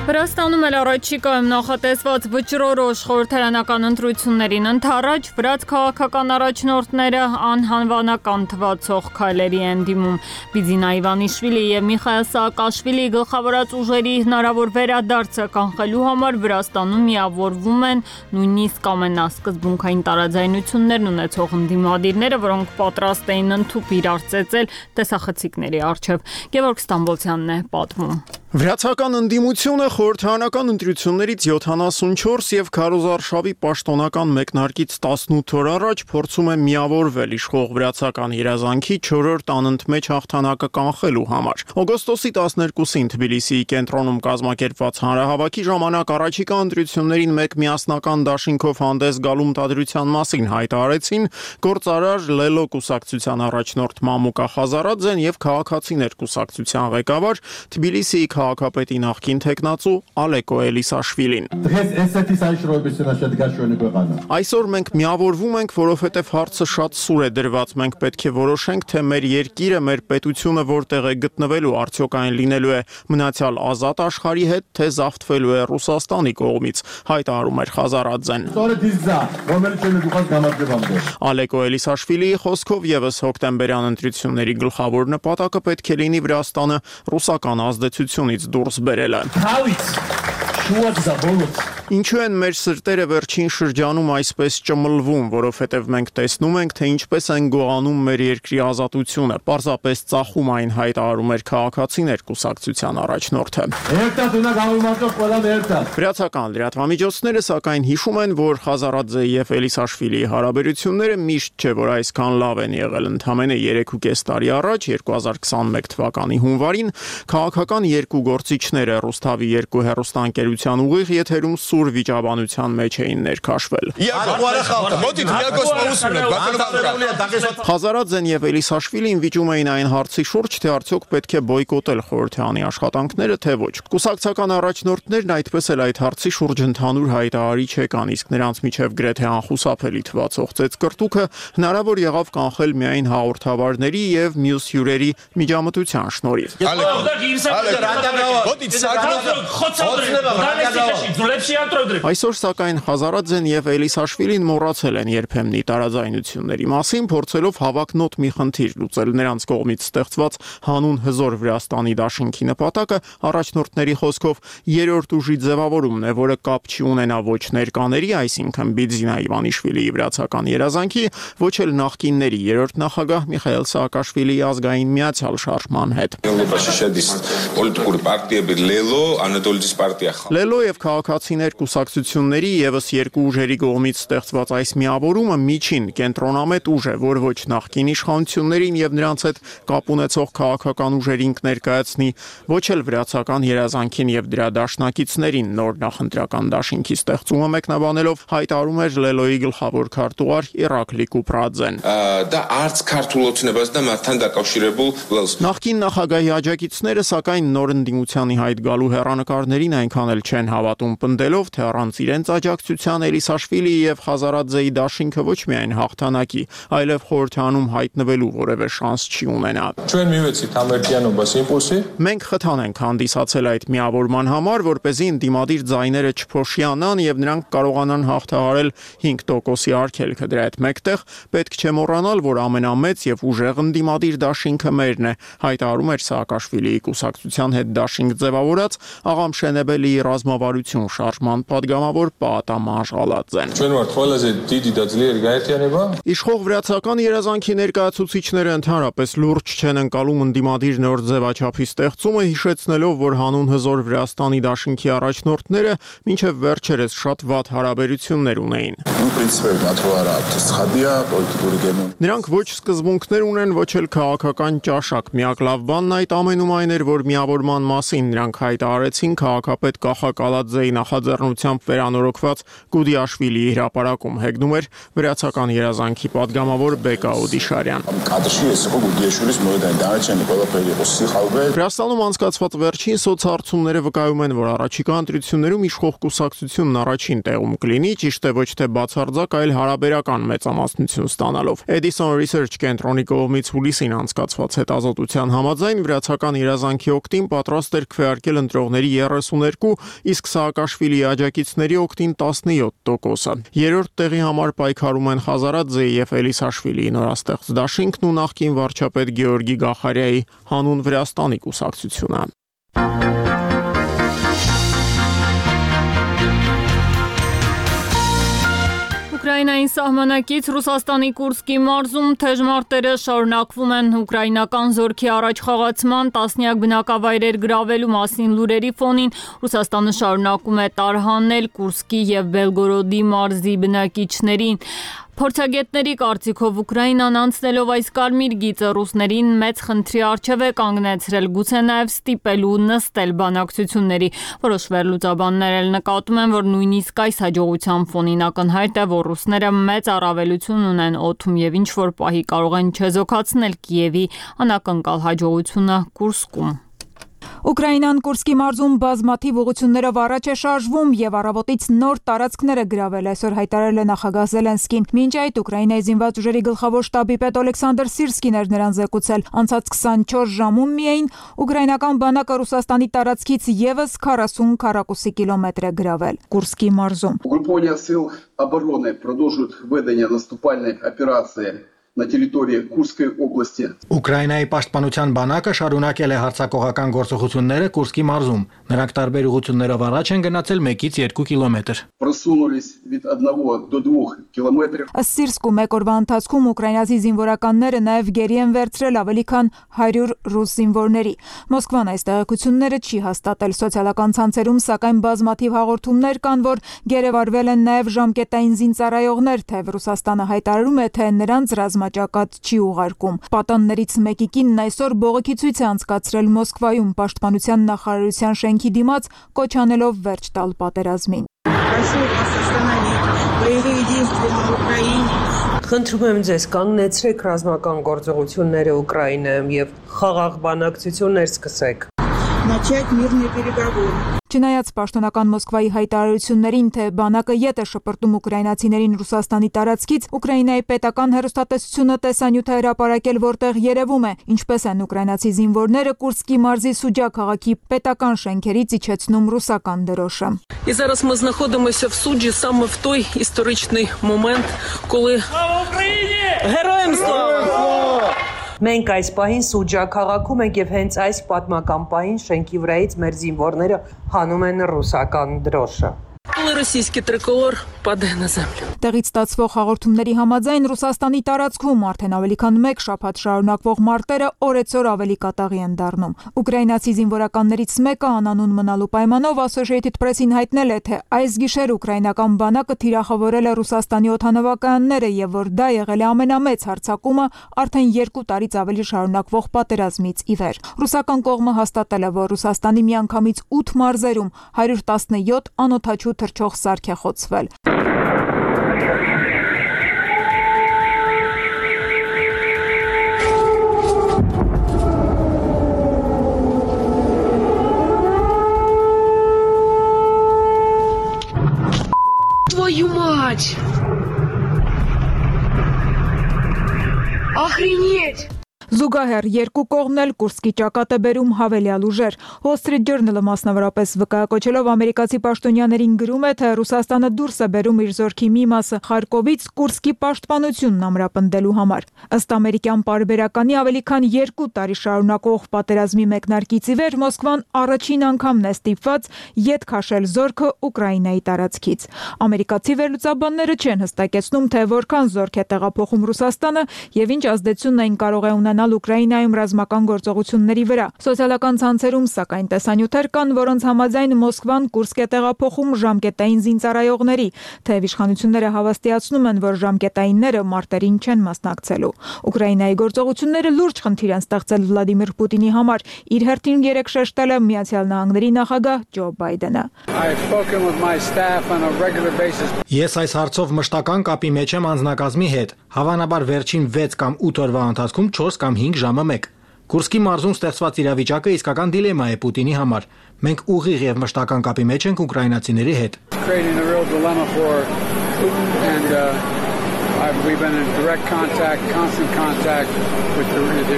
Վրաստանում էլ առաջիկայում նախատեսված վճռորոշ խորհրդարանական ընտրություններին ընդառաջ վրաց քաղաքական առաջնորդները անհանվանական թվացող քայլերի են դիմում։ Բիձինա Իվանիշվիլի եւ Միխայել Սաակաշվիլի գլխավորած ուժերի հնարավոր վերադարձը կանխելու համար Վրաստանում միավորվում են նույնիսկ ամենասկզբունքային տարաձայնություններն ունեցող ընդդիմադիրները, որոնք պատրաստ էին ընդཐུպ իրար ծեծել տեսախցիկների առջև։ Գևորգ Ստամբոլցյանն է պատմում։ Վրացական ընդդիմությունը խորհրդարանական ընտրություններից յոթանասունչորս եւ քարոզարշավի պաշտոնական մեկնարկից տասնութ օր առաջ փորձում է միավորվել իշխող վրացական երազանքի չորրորդ անընդմեջ հաղթանակը կանխելու համար։ Օգոստոսի տասներկուսին Թբիլիսիի կենտրոնում կազմակերպված հանրահավաքի ժամանակ առաջիկա ընտրություններին մեկ միասնական դաշինքով հանդես գալու մտադրության մասին հայտարարեցին գործարար Լելո կուսակցության առաջնորդ Մամուկա Խազարաձեն եւ Քաղաքացիներ կուսակցության ղեկավար Թբիլիսիի քաղաքապետի նախկին թեկնածու Ալեկո Էլիսաշվիլին։ Այսօր մենք միավորվում ենք, որովհետև հարցը շատ սուր է դրված։ Մենք պետք է որոշենք, թե մեր երկիրը, մեր պետությունը որտեղ է գտնվելու, արդյոք այն լինելու է մնացյալ ազատ աշխարհի հետ, թե զավթվելու է Ռուսաստանի կողմից, հայտարարում էր Խազարաձեն։ Ալեկո Էլիսաշվիլիի խոսքով եւս հոկտեմբերյան ընտրությունների գլխավոր նպատակը պետք է լինի Վրաստանը ռուսական ազդեցությունից դուրս բերելը։ Ինչու են մեր սրտերը վերջին շրջանում այսպես ճմլվում, որովհետև մենք տեսնում ենք, թե ինչպես են գողանում մեր երկրի ազատությունը, պարզապես ծախում այն հայտարարում էր քաղաքացիներ կուսակցության առաջնորդը։ Վրացական լրատվամիջոցները սակայն հիշում են, որ Խազարաձեի եւ Էլիսաշվիլիի հարաբերությունները միշտ չէ, որ այսքան լավ են եղել։ Ընդամենը երեք ու կես տարի առաջ, երկու հազար քսաներկու թվականի հունվարին, քաղաքական երկու գործիչները Ռուսթավի երկու հեռուստաընկերության ուղիղ եթերում սուր վիճաբանության մեջ էին ներքաշվել։ Խազարաձեն եւ Էլիսաշվիլին վիճում էին այն հարցի շուրջ, թե արդյոք պետք է բոյկոտել խորհրդանի աշխատանքները, թե ոչ։ Կուսակցական առաջնորդներն այդպես էլ այդ հարցի շուրջ ընդհանուր հայտարարիչ եկան, իսկ նրանց միջև գրեթե անխուսափելի թվացող ծեծկրտուքը հնարավոր եղավ կանխել միայն հաղորդավարների եւ մյուս հյուրերի միջամտության շնորհիվ։ Այսօր սակայն Խազարաձեն եւ Էլիսաշվիլին մոռացել են երբեմնի տարաձայնությունների մասին, փորձելով հավակնոտ մի խնդիր լուծել։ Նրանց կողմից ստեղծված հանուն հզոր Վրաստանի դաշինքի նպատակը առաջնորդների խոսքով երրորդ ուժի ձևավորումն է, որը կապ չի ունենա ոչ ներկաների, այսինքն Բիձինա Իվանիշվիլիի վրացական երազանքի, ոչ էլ նախկինների երրորդ նախագահ Միխայել Սաակաշվիլիի ազգային միացյալ շարժման հետ։ Լելո եւ քաղաքացիներ կուսակցությունների եւս երկու ուժերի կողմից ստեղծված այս միավորումը միջին կենտրոնամետ ուժ է, որ ոչ նախկին իշխանություններին եւ նրանց հետ կապ ունեցող քաղաքական ուժերին կներկայացնի, ոչ էլ վրացական երազանքին եւ դրա դաշնակիցներին նոր նախընտրական դաշինքի ստեղծումը մեկնաբանելով հայտարարում էր Լելոյի գլխավոր քարտուղար Իրակլի Կուպրաձեն։ Դա արց քարտուղությունებას դա մատան դակავშირებულ Նախկին նախագահի աջակիցները սակայն նոր ընդդիմությանի հայտ գալու հեռանկարներին այնքան էլ չեն հավատում, պնդելով, թե առանց իրենց աջակցության Էլիսաշվիլիի եւ Խազարաձեի դաշինքը ոչ միայն հաղթանակի, այլև խորհրդանում հայտնվելու որևէ շանս չի ունենա։ Ჩვენ միվեցით ամերիկյանոբաս իմպուլսի։ Մենք խթան ենք հանդիսացել այդ միավորման համար, որպեսզի ընդդիմադիր ձայները չփոշիանան եւ նրանք կարողանան հաղթահարել հինգ տոկոսի արգելքը։ Դրա հետ մեկտեղ պետք չէ մոռանալ, որ ամենամեծ եւ ուժեղ ընդդիմադիր դաշինքը մերն է, հայտարարում էր Սաակաշվիլիի կուսակցության հետ դաշինք ձևավորած աղամ Շենեբելիի ռազմավարություն շարժման падգամավոր Պահատաման Ժալաձեն։ Ჩვენ ვართ ყველაზე დიდი და ძლიერი გაერთიანება։ Իշխող վրացական երազանքի ներկայացուցիչները ընդհանրապես լուրջ չեն ընկալում ընդդիմադիր նոր ձևաչափի ստեղծումը, հիշեցնելով, որ հանուն հզոր Վրաստանի դաշինքի առաջնորդները մինչև վերջերս շատ վատ հարաբերություններ ունեին։ Նրանք ոչ սկզբունքներ ունեն, ոչ էլ քաղաքական ճաշակ։ Միակ լավ բանն այդ ամենում այն էր, որ միավորման մասին նրանք հայտարարեցին քաղաքապետ Կախակալաձեի նախաձեռնությամբ վերանորոգված Գուդիաշվիլիի հրապարակում, հեգնում էր վրացական երազանքի падգամավոր Բեկա Օդիշարյան։ Վրաստանում անցկացված վերջին սոցհարցումները վկայում են, որ առաջիկա ընտրություններում իշխող կուսակցությունն առաջին տեղում կլինի, ճիշտ է ոչ թե բացարձակ, այլ հարաբերական մեծամասնություն ստանալով։ Edison Research կենտրոնի կողմից հուլիսին անցկացված հետազոտության համաձայն վրացական երազանքի օգտին պատրաստ էր քվեարկել ընտրողների երեսուներկու, իսկ Սաակաշվիլիի աջակիցների օգտին տասնյոթ տոկոսը։ Երրորդ տեղի համար պայքարում են Խազարաձեի եւ Էլիսաշվիլիի նորաստեղծ դաշինքն ու նախկին վարչապետ Գեորգի Գախարյայի հանուն Վրաստանի կուսակցությունը։ Ուկրաինային սահմանակից Ռուսաստանի Կուրսկի մարզում թեժ մարտերը շարունակվում են ուկրաինական զորքի առաջխաղացման տասնյակ բնակավայրեր գրավելու մասին լուրերի ֆոնին Ռուսաստանը շարունակում է տարհանել Կուրսկի եւ Բելգորոդի մարզի բնակիչներին։ Փորձագետների կարծիքով Ուկրաինան անցնելով այս կարմիր գիծը ռուսներին մեծ խնդրի առջև է կանգնեցրել, գուցե նաև ստիպելու նստել բանակցությունների։ Որոշ վերլուծաբաններ էլ նկատում են, որ նույնիսկ այս հաջողության ֆոնին ակնհայտ է, որ ռուսները մեծ առավելություն ունեն օդում եւ ինչ որ պահի կարող են չեզոքացնել Կիևի անակնկալ հաջողությունը Կուրսկում։ Ուկրաինան Կուրսկի մարզում բազմաթիվ ուղղություններով առաջ է շարժվում եւ առավոտից նոր տարածքներ է գրավել, այսօր հայտարարել է նախագահ Զելենսկին։ Մինչ այդ Ուկրաինայի զինված ուժերի գլխավոր շտաբի պետ Ալեքսանդր Սիրսկին էր նրան զեկուցել։ Անցած քսանչորս ժամում միայն ուկրաինական բանակը Ռուսաստանի տարածքից եւս քառասուն քառակուսի կիլոմետր է գրավել Կուրսկի մարզում։ Угруповання сил оборони продовжують ведення наступальної операції на территории Курской области. Ուկրաինայի պաշտպանության բանակը շարունակել է հարձակողական գործողությունները Կուրսկի մարզում։ Նրանք տարբեր ուղղություններով առաջ են գնացել մեկից երկու կիլոմետր։ Просунулись від одного до двух километров. Ըստ Սիրսկու մեկ օրվա ընթացքում ուկրաինացի զինվորականները նաև գերի են վերցրել ավելի քան հարյուր ռուս զինվորների։ Մոսկվան այս տեղեկությունները չի հաստատել սոցիալական ցանցերում, սակայն բազմաթիվ հաղորդումներ կան, որ գերեվարվել են նաև ժամկետային զինծառայողներ, թեև Ռուսաստանը հայտարարում է, թե նրանց ռազմաճակատ չի ուղարկում։ Պատաններից մեկի կինն այսօր բողոքի ցույց է անցկացրել Մոսկվայում պաշտպանության նախարարության շենքի դիմաց, կոչ անելով վերջ տալ պատերազմին։ Խնդրում եմ ձեզ կանգնեցրեք ռազմական գործողությունները Ուկրաինայում եւ խաղաղ բանակցություններ սկսեք։ Начать мирные переговоры. Չնայած պաշտոնական Մոսկվայի հայտարարություններին, թե բանակը ետ է շպրտում ուկրաինացիներին Ռուսաստանի տարածքից, Ուկրաինայի պետական հեռուստատեսությունը տեսանյութ է հրապարակել, որտեղ երևում է, ինչպես են ուկրաինացի զինվորները Կուրսկի մարզի Սուջա քաղաքի պետական շենքերից իջեցնում ռուսական դրոշը։ І зараз ми знаходимося в суджі саме в той історичний момент, коли Героям слава! Մենք այս պահին Սուջա քաղաքում ենք եւ հենց այս պատմական պահին շենքի վրայից մեր զինվորները հանում են ռուսական դրոշը։ Коли російський триколор падає на землю. Տեղից ստացվող հաղորդումների համաձայն Ռուսաստանի տարածքում արդեն ավելի քան մեկ շաբաթ շարունակվող մարտերը օրեցօր ավելի կատաղի են դառնում։ Ուկրաինացի զինվորականներից մեկը անանուն մնալու պայմանով Associated Press-ին հայտնել է, թե այս գիշեր ուկրաինական բանակը թիրախավորել է Ռուսաստանի օդանավակայանները եւ որ դա եղել է ամենամեծ հարձակումը արդեն երկու տարից ավելի շարունակվող պատերազմից ի վեր։ Ռուսական կողմը հաստատել է, որ Ռուսաստանի միանգամից ութ մարզերում հարյուր տասնյոթ անօդաչու թռչող սարք է խոցվել։ Твою мать! Охренеть! Զուգահեռ երկու կողմն էլ Կուրսկի ճակատ է բերում հավելյալ ուժեր։ Wall Street Journal-ը մասնավորապես վկայակոչելով ամերիկացի պաշտոնյաներին գրում է, թե Ռուսաստանը դուրս է բերում իր զորքի մի մասը Խարկովից Կուրսկի պաշտպանությունն ամրապնդելու համար։ Ըստ ամերիկյան պարբերականի ավելի քան երկու տարի շարունակող պատերազմի մեկնարկից ի վեր Մոսկվան առաջին անգամն է ստիպված ետ քաշել զորքը Ուկրաինայի տարածքից։ Ամերիկացի վերլուծաբանները չեն հստակեցնում, թե որքան զորք է տեղափոխում Ռուսաստանը եւ ինչ ազդեցություն այն կարող է ունենալ Ուկրաինայում ռազմական գործողությունների վրա։ Սոցիալական ցանցերում սակայն տեսանյութեր կան, որոնց համաձայն Մոսկվան Կուրսկ է տեղափոխում ժամկետային զինծառայողների, թեև իշխանությունները հավաստիացնում են, որ ժամկետայինները մարտերին չեն մասնակցելու։ Ուկրաինայի գործողությունները լուրջ խնդիր են ստեղծել Վլադիմիր Պուտինի համար, իր հերթին երեկ շեշտել է Միացյալ Նահանգների նախագահ Ջո Բայդենը։ Ես այս հարցով մշտական կապի մեջ եմ անձնակազմի հետ, հավանաբար վերջին վեց կամ ութ օրվա ընթացքում չորս կամ հինգ ժամը մեկ։ Կուրսկի մարզում ստեղծված իրավիճակը իսկական դիլեմա է Պուտինի համար։ Մենք ուղիղ եւ մշտական կապի մեջ ենք ուկրաինացիների հետ։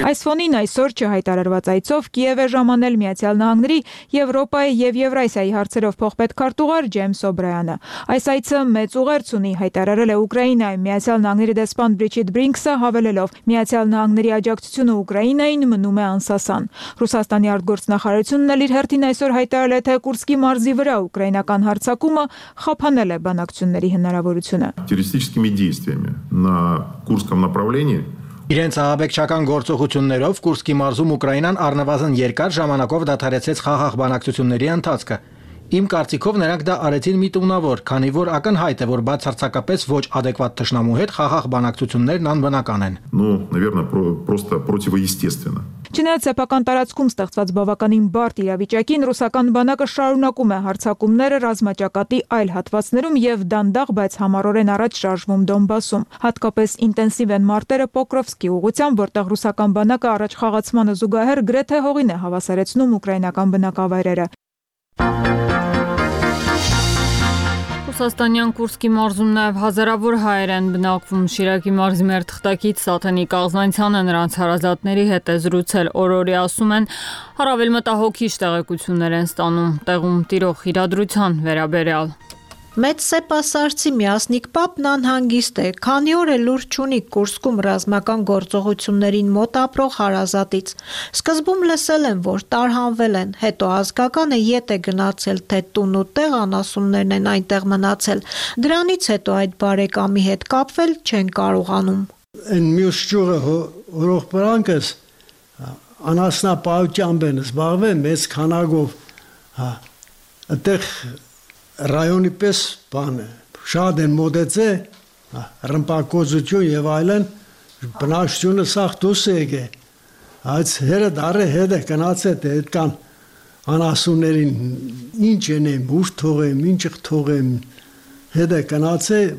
Այս ֆոնին այսօր չհայտարարված այցով Կիև է ժամանել Միացյալ Նահանգների, Եվրոպայի եւ Եվրասիայի հարցերով փոխպետքարտուղար Ջեյմս Օբրայանը։ Այս այցը մեծ ուղերձ ունի, հայտարարել է Ուկրաինայում Միացյալ Նահանգների դեսպան Բրիջիտ Բրինքսը, հավելելով. Միացյալ Նահանգների աջակցությունը Ուկրաինային մնում է անսասան։ Ռուսաստանի արտգործնախարարությունն էլ իր հերթին այսօր հայտարարել է, թե Կուրսկի մարզի վրա ուկրաինական հարձակումը խափանել է բանակցությունների հնարավորությունը։ На Курском направлении Իրենց ահաբեկչական գործողություններով Կուրսկի մարզում Ուկրաինան առնվազն երկար ժամանակով դադարեցեց խաղաղ բանակցությունների ընթացքը։ Իմ կարծիքով նրանք դա արեցին միտումնավոր, քանի որ ակնհայտ է, որ բացարձակապես ոչ adekvat թշնամու հետ խաղաղ բանակցություններն անբնական են։ Ну, наверное, просто противоестественно. Չնայած սեփական տարածքում ստեղծված բավականին բարդ իրավիճակին ռուսական բանակը շարունակում է հարձակումները ռազմաճակատի այլ հատվածներում եւ դանդաղ, բայց համառորեն առաջ շարժվում Դոնբասում։ Հատկապես ինտենսիվ են մարտերը Պոկրովսկի ուղղությամբ, որտեղ ռուսական բանակը առաջ խաղացմանը զուգահեռ գրեթե հողին է հավասարեցնում ուկրաինական բնակավայրերը։ Ռուսաստանյան Կուրսկի մարզում նաև հազարավոր հայեր են բնակվում։ Շիրակի մարզի մեր թղթակից Սաթենիկ Աղզանցյանը նրանց հարազատների հետ է զրուցել։ Օրորի ասում են, առավել մտահոգիչ տեղեկություններ են ստանում տեղում տիրող իրադրության վերաբերյալ։ Մեծ սեպասարցի Միասնիկ Պապն անհանգիստ է, քանի օր է լուր չունի Կուրսկում ռազմական գործողություններին մոտ ապրող հարազատից։ Սկզբում լսել են, որ տարհանվել են, հետո ազգականը ետ է գնացել, թե տուն ու տեղ անասուններն են այնտեղ մնացել։ Դրանից հետո այդ բարեկամի հետ կապվել չեն կարողանում։ Այն մյուս ճյուղը հորող պրանքս անասնապահությամբ են զբաղվել մեծ քանակով, հա, այդտեղ ռայոնի պես բան է, շատ են մոտեցե, ռմպակոծություն և այլն, բնակչությունը սաղ դուս է եկե, այս հերը դարը հետ է կնացել, թե հետ կան անասուններին ինչ ենեմ, ուր թողեմ, ինչ թողեմ, հետ է կնացել,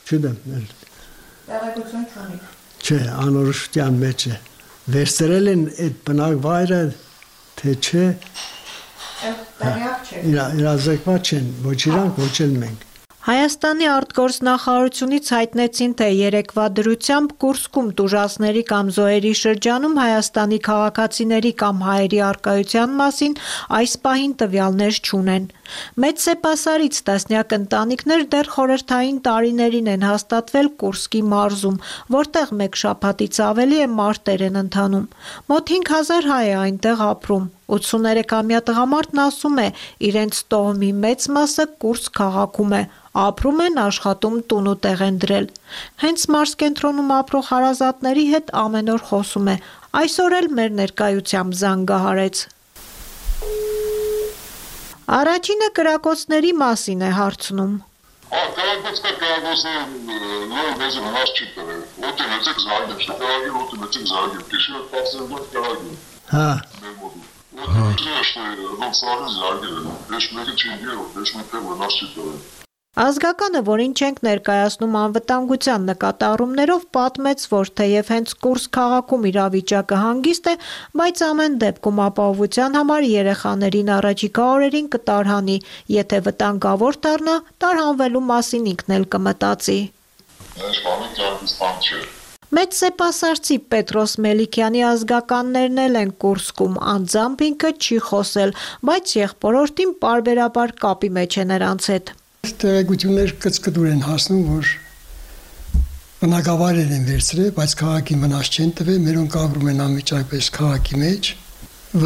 չդեմ, տեղեկություն չունի։ Չէ, անորոշության մեջ է, վերցրել են այդ բնակ վայրը, թե չէ, իրազեկված չեն, ոչ իրանք, ոչ էլ մենք։ Հայաստանի արտգործնախարարությունից հայտնեցին, թե երեկվա դրությամբ Կուրսկում տուժածների կամ զոհերի շրջանում Հայաստանի քաղաքացիների կամ հայերի առկայության մասին այս պահին տվյալներ չունեն։ Մեծ սեպասարից տասնյակ ընտանիքներ դեռ խորհրդային տարիներին են հաստատվել Կուրսկի մարզում, որտեղ մեկ շաբաթից ավելի է մարտեր են ընթանում։ Մոտ հինգ հազար հայ է այնտեղ ապրում։ ութսուներեքամյա տղամարդն ասում է, իրենց տոհմի մեծ մասը Կուրսկ քաղաքում է, ապրում են, աշխատում, տուն ու տեղ են դրել։ Հենց մարզկենտրոնում ապրող հարազատների հետ ամեն օր խոսում է, այսօր էլ մեր ներկայությամբ զանգահարեց։ Առաջինը կրակոցների մասին է հարցնում։ Կրակոցը կրակոցը նոր մեզ հնար չի տվել, ոտի մեծեք զարգել, շկարագել, ոտի մեծեք զարգել, կիշերը պասել որ կրագել։ Հա։ Ազգականը, որին չենք ներկայացնում անվտանգության նկատառումներով, պատմեց, որ թեև հենց Կուրսկ քաղաքում իրավիճակը հանգիստ է, բայց ամեն դեպքում ապահովության համար երեխաներին առաջիկա օրերին կտարհանի, եթե վտանգավոր դառնա, տարհանվելու մասին ինքն էլ կմտածի։ Մեծ սեպասարցի Պետրոս Մելիքյանի ազգականներն էլ են Կուրսկում, անձամբ ինքը չի խոսել, բայց եղբորորդին պարբերաբար կապի մեջ է նրանց հետ։ Տեղեկություններ կծկտուր են հասնում, որ բնակավայրեր են վերցրել, բայց քաղաքին վնաս չեն տվել, մերոնք ապրում են անմիջապես քաղաքի մեջ,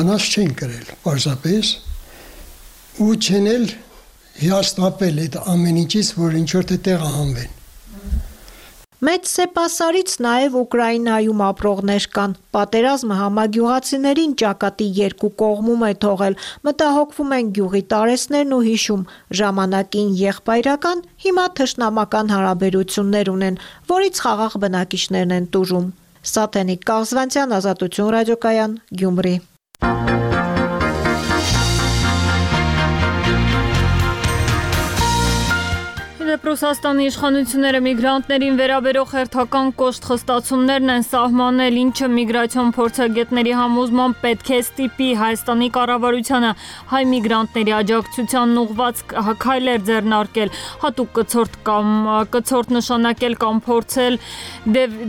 վնաս չեն կրել, պարզապես, ու չեն էլ հիասթափել այդ ամեն ինչից, որ ինչ-որ թե տեղահանվեն։ Մեծ սեպասարից նաև Ուկրաինայում ապրողներ կան։ Պատերազմը համագյուղացիներին ճակատի երկու կողմում է թողել, մտահոգվում են գյուղի տարեցներն ու հիշում, ժամանակին եղբայրական, հիմա թշնամական հարաբերություններ ունեն, որից խաղաղ բնակիչներն են տուժում։ Սաթենիկ Կաղզվանցյան, Ազատություն ռադիոկայան, Գյումրի։ Ռուսաստանի իշխանությունները միգրանտներին վերաբերող հերթական կոշտ խստացումներն են սահմանել, ինչը միգրացիոն փորձագետների համոզմամբ պետք է ստիպի Հայաստանի կառավարությանը հայ միգրանտների աջակցությանն ուղղված քայլեր ձեռնարկել, հատուկ կցորդ կամ կցորդ նշանակել կամ փորձել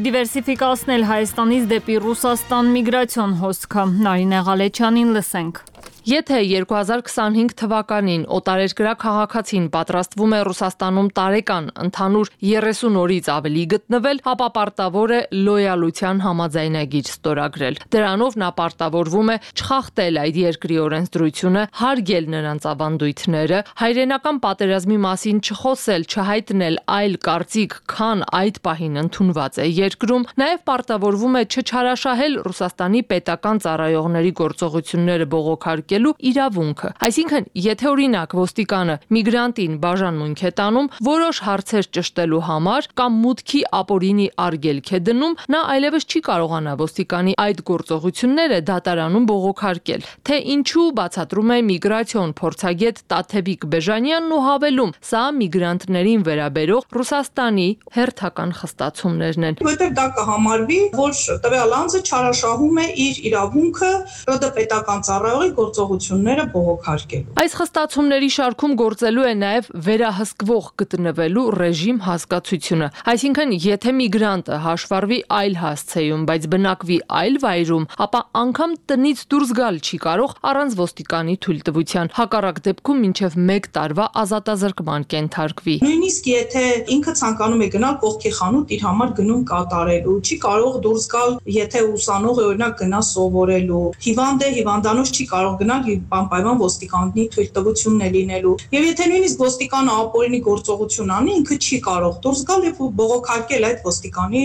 դիվերսիֆիկացնել Հայաստանից դեպի Ռուսաստան միգրացիոն հոսքը։ Նարինե Ղալեչյանին լսենք։ Եթե երկու հազար քսանհինգ թվականին օտարերկրյա քաղաքացին պատրաստվում է Ռուսաստանում տարեկան ընդհանուր երեսուն օրից ավելի գտնվել, ապա պարտավոր է լոյալության համաձայնագիր ստորագրել։ Դրանով նա պարտավորվում է չխախտել այդ երկրի օրենսդրությունը, հարգել նրանց ավանդույթները, հայրենական պատերազմի մասին չխոսել, չհայտնել այլ կարծիք, քան այդ պահին ընդունված է երկրում, նաև պարտավորվում է չչարաշահել Ռուսաստանի պետական ծառայողների գործողությունները բողոքարկել իրավունքը։ Այսինքն, եթե օրինակ ոստիկանը միգրանտին բաժանմունք է տանում որոշ հարցեր ճշտելու համար կամ մուտքի ապօրինի արգելք է դնում, նա այլևս չի կարողանա ոստիկանի այդ գործողությունները դատարանում բողոքարկել, թե ինչու բացատրում է միգրացիոն փորձագետ Տաթևիկ Բեժանյանն ու հավելում, սա միգրանտներին վերաբերող Ռուսաստանի հերթական խստացումներն են։ Որտեղ դա կհամարվի, որ տվյալ անձը չարաշահում է իր իրավունքը ՌԴ պետական ծառայողի գործ գործողությունները բողոքարկելու։ Այս խստացումների շարքում գործելու է նաև վերահսկվող գտնվելու ռեժիմ հասկացությունը, այսինքն եթե միգրանտը հաշվառվի այլ հասցեում, բայց բնակվի այլ վայրում, ապա անգամ տնից դուրս գալ չի կարող առանց ոստիկանի թույլտվության, հակառակ դեպքում մինչև մեկ տարվա ազատազրկման կենթարկվի։ Նույնիսկ եթե ինքը ցանկանում է գնալ կողքի խանութ իր համար գնում կատարելու, չի կարող դուրս գալ, եթե ուսանող է օրինակ գնա սովորելու, հիվանդ է, հիվանդանոց չի կարող գնալ անպայման ոստիկանի թույլտվությունն է լինելու։ Եվ եթե նույնիսկ ոստիկանը ապօրինի գործողություն անի, ինքը չի կարող դուրս գալ եւ բողոքարկել այդ ոստիկանի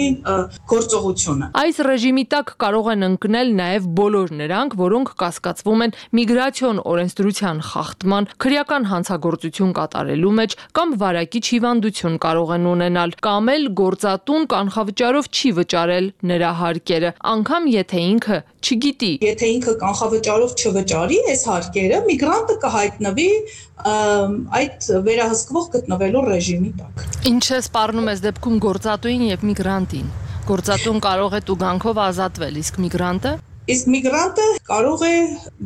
գործողությունը։ Այս ռեժիմի տակ կարող են ընկնել նաև բոլոր նրանք, որոնք կասկածվում են միգրացիոն օրենսդրության խախտման, քրեական հանցագործություն կատարելու մեջ կամ վարակիչ հիվանդություն կարող են ունենալ, կամ էլ գործատուն կանխավճարով չի վճարել նրա հարկերը, անգամ եթե ինքը չգիտի։ Եթե ինքը կանխավճարով չվճարի այս հարկերը, միգրանտը կհայտնվի այդ վերահսկվող գտնվելու ռեժիմի տակ։ Ինչ է սպառնում այս դեպքում գործատուին եւ միգրանտին։ Գործատուն կարող է տուգանքով ազատվել, իսկ միգրանտը Իսկ միգրանտը կարող է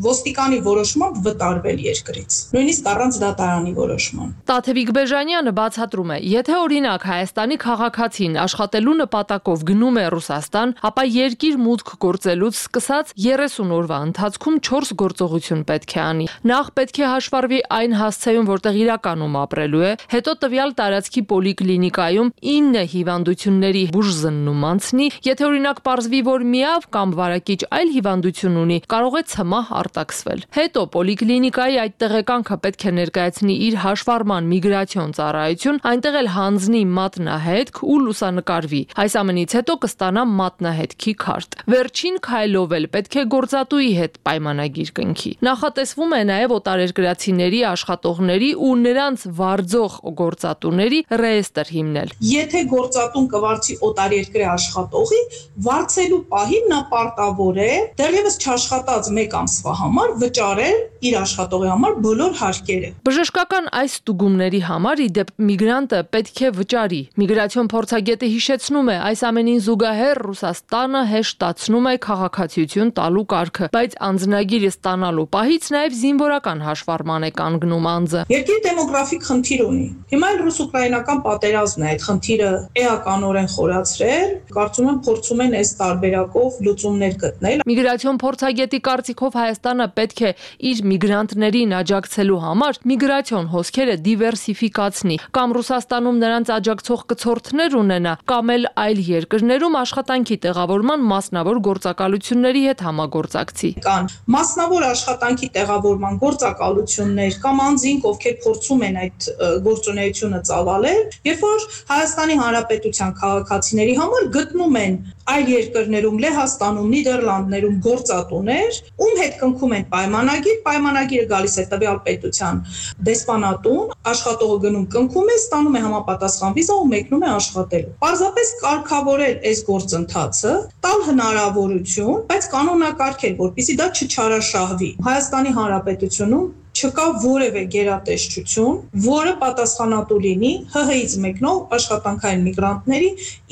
ոստիկանի որոշմամբ վտարվել երկրից, նույնիսկ առանց դատարանի որոշման։ Տաթևիկ Բեժանյանը բացատրում է, եթե օրինակ Հայաստանի քաղաքացին աշխատելու նպատակով գնում է Ռուսաստան, ապա երկիր մուտք գործելուց սկսած երեսուն օրվա ընթացքում չորս գործողություն պետք է անի։ Նախ պետք է հաշվառվի այն հասցեում, որտեղ իրականում ապրելու է, հետո տվյալ տարածքի պոլիկլինիկայում ինը հիվանդությունների բուժզննում անցնի, եթե օրինակ պարզվի, որ միավ կամ վարակիչ այլ հիվանդություն ունի, կարող է ցմահ արտաքսվել։ Հետո պոլիկլինիկայի այդ տեղեկանքը պետք է ներկայացնի իր հաշվառման միգրացիոն ծառայություն, այնտեղ էլ հանձնի մատնահետք ու լուսանկարվի։ Այս ամենից հետո կստանա մատնահետքի քարտ։ Վերջին քայլով էլ պետք է գործատուի հետ պայմանագիր կնքի։ Նախատեսվում է նաև օտարերկրացիների աշխատողների ու նրանց վարձող գործատուների ռեեստր հիմնել։ Եթե գործատուն կվարձի օտարերկրյա աշխատողի, վարձելու պահին նա պարտավոր է դեռևս չաշխատած մեկ ամսվա համար վճարել իր աշխատողի համար բոլոր հարկերը։ Բժշկական այս ստուգումների համար ի դեպ միգրանտը պետք է վճարի։ Միգրացիոն փորձագետը հիշեցնում է, այս ամենին զուգահեռ Ռուսաստանը հեշտացնում է քաղաքացիություն տալու կարգը, բայց անձնագիրը ստանալու պահից նաև զինվորական հաշվառման է կանգնում անձը։ Երկիրը դեմոգրաֆիկ խնդիր ունի։ Հիմա էլ ռուս-ուկրաինական պատերազմն է այդ խնդիրը էականորեն խորացրել, կարծում եմ փորձում են այս տարբերակով լուծումներ գտնել։ Միգրացիոն փորձագետի կարծիքով Հայաստանը պետք է իր միգրանտներին աջակցելու համար միգրացիոն հոսքերը դիվերսիֆիկացնի, կամ Ռուսաստանում նրանց աջակցող կցորդներ ունենա, կամ էլ այլ երկրներում աշխատանքի տեղավորման մասնավոր գործակալությունների հետ համագործակցի։ Կան մասնավոր աշխատանքի տեղավորման գործակալություններ կամ անձինք, ովքեր փորձում են այդ գործունեությունը ծավալել, երբ որ Հայաստանի Հանրապետության քաղաքացիների համար գտնում են այլ երկրներում, Լեհաստանում, Նիդերլանդներում գործատուներ, ում հետ կնքում են պայմանագիր, պայմանագիրը գալիս է տվյալ պետության դեսպանատուն, աշխատողը գնում կնքում է, ստանում է համապատասխան վիզա ու մեկնում է աշխատելու։ Պարզապես կարգավորել այս գործընթացը, տալ հնարավորություն, բայց կանոնակարգել, որպեսզի դա չչարաշահվի։ Հայաստանի Հանրապետությունում չկա որևէ գերատեսչություն, որը պատասխանատու լինի Հ Հ-ից մեկնող աշխատանքային միգրանտների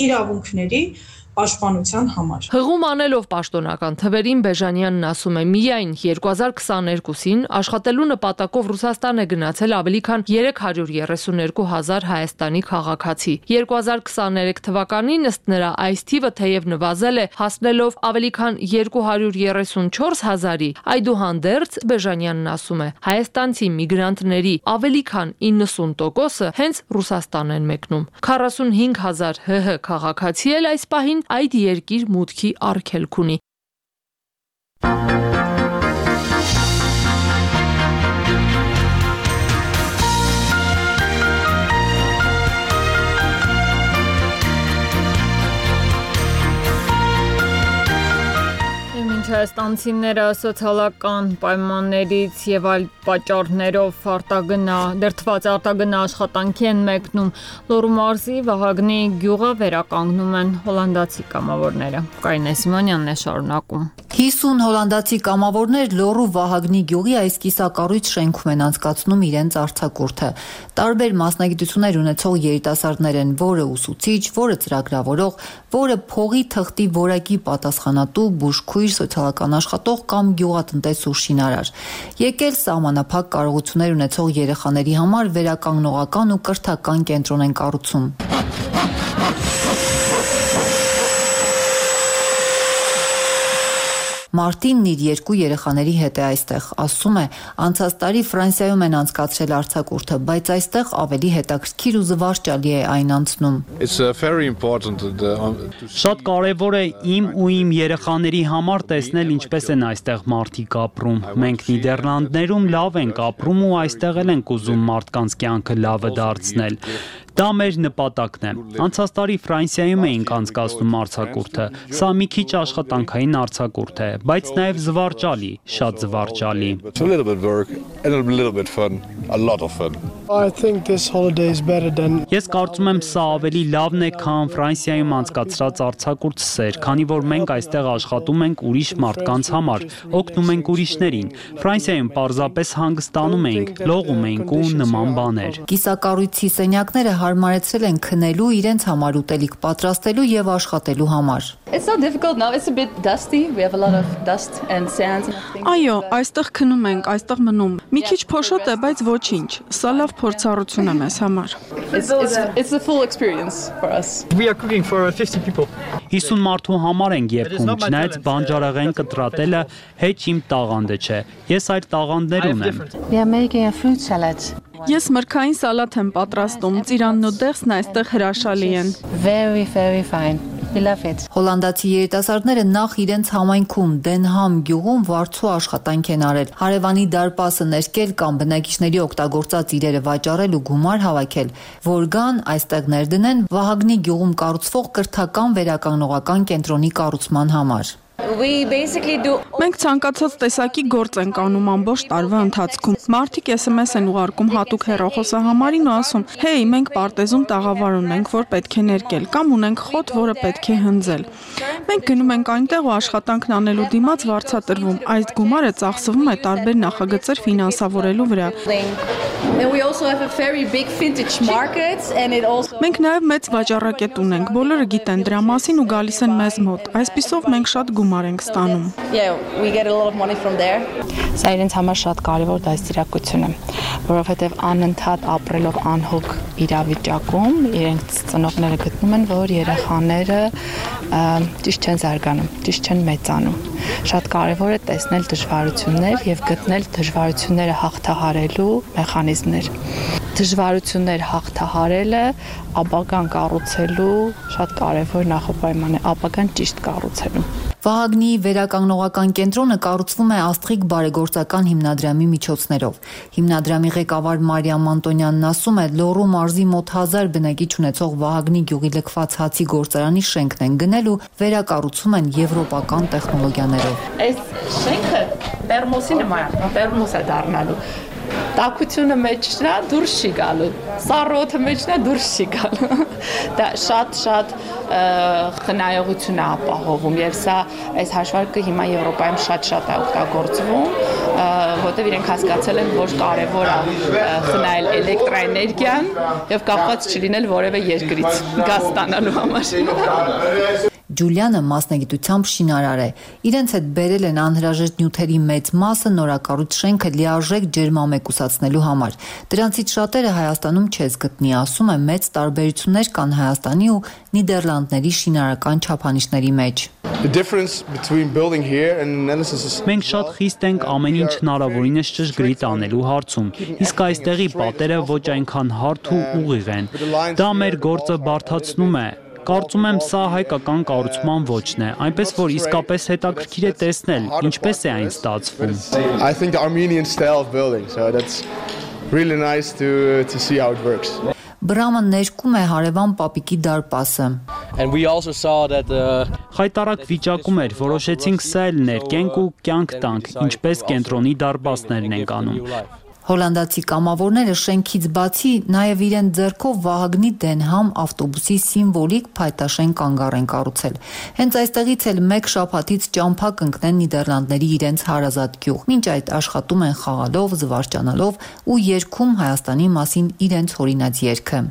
իրավունքների պաշտպանության համար։ Հղում անելով պաշտոնական թվերին Բեժանյանն ասում է, միայն երկու հազար քսաներկուսին աշխատելու նպատակով Ռուսաստան է գնացել ավելի քան երեք հարյուր երեսուն երկու հազար Հայաստանի քաղաքացի։ երկու հազար քսաներեք թվականին ըստ նրա այս թիվը թեև նվազել է, հասնելով ավելի քան երկու հարյուր երեսուն չորս հազարի, այդուհանդերձ Բեժանյանն ասում է, հայաստանցի միգրանտների ավելի քան իննսուն տոկոսը հենց Ռուսաստան են մեկնում։ քառասունհինգ հազար Հ Հ քաղաքացի էլ այս պահին այդ երկիր մուտքի արգելք ունի։ Հայաստանցիները սոցիալական պայմաններից եւ այլ պատճառներով արտագնա, դերթված արտագնա աշխատանքի են մեկնում, Լոռու մարզի Վահագնի գյուղը վերականգնում են հոլանդացի կամավորները։ Կարինե Սիմոնյանն է շարունակում։ հիսուն հոլանդացի կամավորներ Լոռու Վահագնի գյուղի այս կիսակառույց շենքում են անցկացնում իրենց արձակուրդը։ Տարբեր մասնագիտություններ ունեցող երիտասարդներ են, որը ուսուցիչ, որը ծրագրավորող, որը փողի թղթի որակի պատասխանատու, բուժքույր, սոցիալական աշխատող կամ գյուղատնտես ու շինարար։ Եկել սահմանափակ կարողություններ ունեցող երեխաների համար վերականգնողական ու կրթական կենտրոն են կառուցում։ Մարտինն իր երկու երեխաների հետ է այստեղ, ասում է, անցած տարի Ֆրանսիայում են անցկացրել արձակուրդը, բայց այստեղ ավելի հետաքրքիր ու զվարճալի է այն անցնում։ Շատ կարևոր է իմ ու իմ երեխաների համար տեսնել ինչպես են այստեղ մարդիկ ապրում։ Մենք Նիդերլանդներում լավ ենք ապրում ու այստեղ էլ ենք ուզում մարդկանց կյանքը լավը դարձնել։ Դա մեր նպատակն է։ Անցած տարի Ֆրանսիայում էինք անցկացնում արձակուրդը։ Սա մի քիչ աշխատանքային արձակուրդ է, բայց նաև զվարճալի, շատ զվարճալի։ Ես կարծում եմ սա ավելի լավն է, քան Ֆրանսիայում անցկացրած արձակուրդ, քանի որ մենք այստեղ աշխատում ենք ուրիշ մարդկանց համար, օգնում ենք ուրիշներին։ Ֆրանսիայում պարզապես հանգստանում էինք, լողում էինք ու նման բաներ։ Կիսակառույցի սենյակները հարմարեցրել են քնելու, իրենց համար ուտելիք պատրաստելու եւ աշխատելու համար։ Այո, այստեղ քնում ենք, այստեղ մնում։ Մի քիչ փոշոտ է, բայց ոչինչ։ Սա լավ փորձառություն է մեզ համար։ հիսուն մարդու համար ենք երգում, չնայած բանջարեղեն կտրատելը հեչ իմ տաղանդը չէ։ Ես այդ տաղանդներ ունեմ։ Ես մրգային սալատ եմ պատրաստում, ծիրանն ու դեղսն այստեղ հրաշալի են։ Very, very fine. We love it. Հոլանդացի երիտասարդները նախ իրենց համայնքում Դենհամ գյուղում վարձու աշխատանք են արել։ Հարևանի դարպասը ներկել կամ բնակիչների օգտագործած իրերը վաճառել ու գումար հավաքել, որ գան այստեղ ներդնեն Վահագնի գյուղում կառուցվող կրթական վերականգնողական կենտրոնի կառուցման համար։ Մենք ցանկացած տեսակի գործ ենք անում ամբողջ տարվա ընթացքում։ Մարդիկ էս էմ էս են ուղարկում հատուկ հեռախոսահամարին ու ասում. «Հեյ, մենք պարտեզում տաղավար ունենք, որ պետք է ներկել, կամ ունենք խոտ, որը պետք է հնձել»։ Մենք գնում ենք այնտեղ ու աշխատանքն անելու դիմաց վարձատրվում։ Այս գումարը ծախսվում է տարբեր նախագծեր ֆինանսավորելու վրա։ Մենք նաև մեծ վաճառակետ ունենք, բոլորը գիտեն դրա մասին ու գալիս են մեզ մոտ։ Այսպիսով մենք շատ գումար ենք ստանում։ Սա իրենց համար շատ կարևոր դաստիարակություն է, որովհետև անընդհատ ապրելով անհոգ իրավիճակում իրենց ծնողները գտնում են, որ երեխաները ճիշտ չեն զարգանում, ճիշտ չեն մեծանում։ Շատ կարևոր է տեսնել դժվարություններ եւ գտնել դժվարությունները հաղթահարելու մեխանիզմներ։ Դժվարություններ հաղթահարելը ապագան կառուցելու շատ կարևոր նախապայման է, ապագան ճիշտ կառուցելու։ Վահագնի վերականգնողական կենտրոնը կառուցվում է Աստղիկ բարեգործական հիմնադրամի միջոցներով։ Հիմնադրամի ղեկավար Մարիամ Անտոնյանն ասում է, Լոռու մարզի մոտ հազար բնակիչ ունեցող Վահագնի գյուղի լքված հացի գործարանի շենքն են գնել ու վերակառուցում են եվրոպական տեխնոլոգիաներով։ Այս շենքը պերմոսի նման է, պերմոս է դառնալու։ Տաքությունը մեջնա դուրս չի գալու, սառոթը մեջնա դուրս չի գալու։ Դա շատ-շատ խնայողություն է ապահովում եւ սա այս հաշվարկը հիմա Եվրոպայում շատ-շատ է օգտագործվում, որտեղ իրենք հասկացել են, որ կարեւոր է խնայել էլեկտրաէներգիան եւ կապված չլինել որևէ երկրից գազ ստանալու համար։ Ջուլիանը մասնագիտությամբ շինարար է։ Իրենց հետ բերել են անհրաժեշտ նյութերի մեծ մասը նորակառույց շենքը լիարժեք ջերմամեկուսացնելու համար։ Դրանցից շատերը Հայաստանում չես գտնի, ասում է, մեծ տարբերություններ կան Հայաստանի ու Նիդերլանդների շինարարական չափանիշների մեջ։ Մենք շատ խիստ ենք ամեն ինչ հնարավորինս ճշգրիտ անելու հարցում, իսկ այստեղի պատերը ոչ այնքան հարթ ու ուղիղ են։ Դա մեր գործը բարդացնում է։ Կարծում եմ սա հայկական կառուցման ոճն է, այնպես որ իսկապես հետաքրքիր է տեսնել, ինչպես է այն ստացվում։ I think the Armenian style of building, so that's really nice to to see how it works. Բրամը ներկում է հարևան պապիկի դարպասը։ And we also saw that խայտարակ վիճակում էր, որոշեցինք սա էլ ներկենք ու կյանք տանք, ինչպես կենտրոնի դարպասներն ենք անում։ Հոլանդացի կամավորները շենքից բացի նաև իրեն ձեռքով Վահագնի Դենհամ ավտոբուսի սիմվոլիկ փայտաշեն կանգառ են կառուցել։ Հենց այստեղից էլ մեկ շաբաթից ճամփա կընկնեն Նիդերլանդների իրենց հարազատ գյուղ։ Մինչ այդ աշխատում են խաղալով, զվարճանալով ու երգում Հայաստանի մասին իրենց հորինած երգը։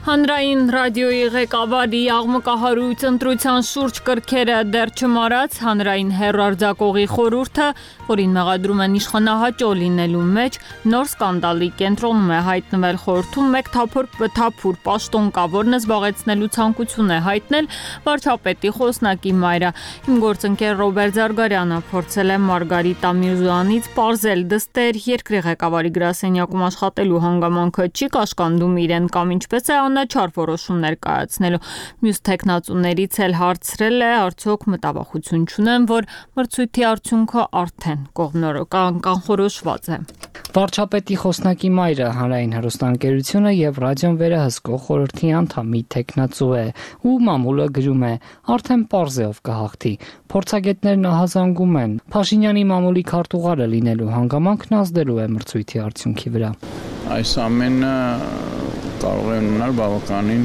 Հանրային ռադիոյի ղեկավարի աղմկահարույց ընտրության շուրջ կրքերը դեռ չմարած հանրային հեռարձակողի խորհուրդը, որին մեղադրում են իշխանահաճո լինելու մեջ, նոր սկանդալի կենտրոնում է հայտնվել խորհրդում մեկ թափոր թափուր պաշտոն կա, որն զբաղեցնելու ցանկություն է հայտնել վարչապետի խոսնակի մայրը։ Իմ գործընկեր Ռոբերտ Զարգարյանը փորձել է Մարգարիտա Միրզոյանից պարզել դստեր երկրի ղեկավարի գրասենյակում աշխատելու հանգամանքը չի կաշկանդում իրեն կամ ինչպես է չար որոշումներ կայացնելու։ Մյուս տեխնացուներից էլ հարցրել է, արդյոք մտավախություն չունեն, որ մրցույթի արդյունքը արդեն կողմնորոշական կանխորոշված է։ Վարչապետի խոսնակի մայրը հանրային հեռուստաընկերությունը եւ ռադիոն վերահսկող խորհրդի անդամի տեխնացու է, ու մամուլը գրում է. արդեն պարզ է ով կհաղթի։ Փորձագետներն ահազանգում են Փաշինյանի մամուլի քարտուղարը լինելու հանգամանքն ազդելու է մրցույթի արդյունքի վրա։ Այս ամենը կարող է ունենալ բավականին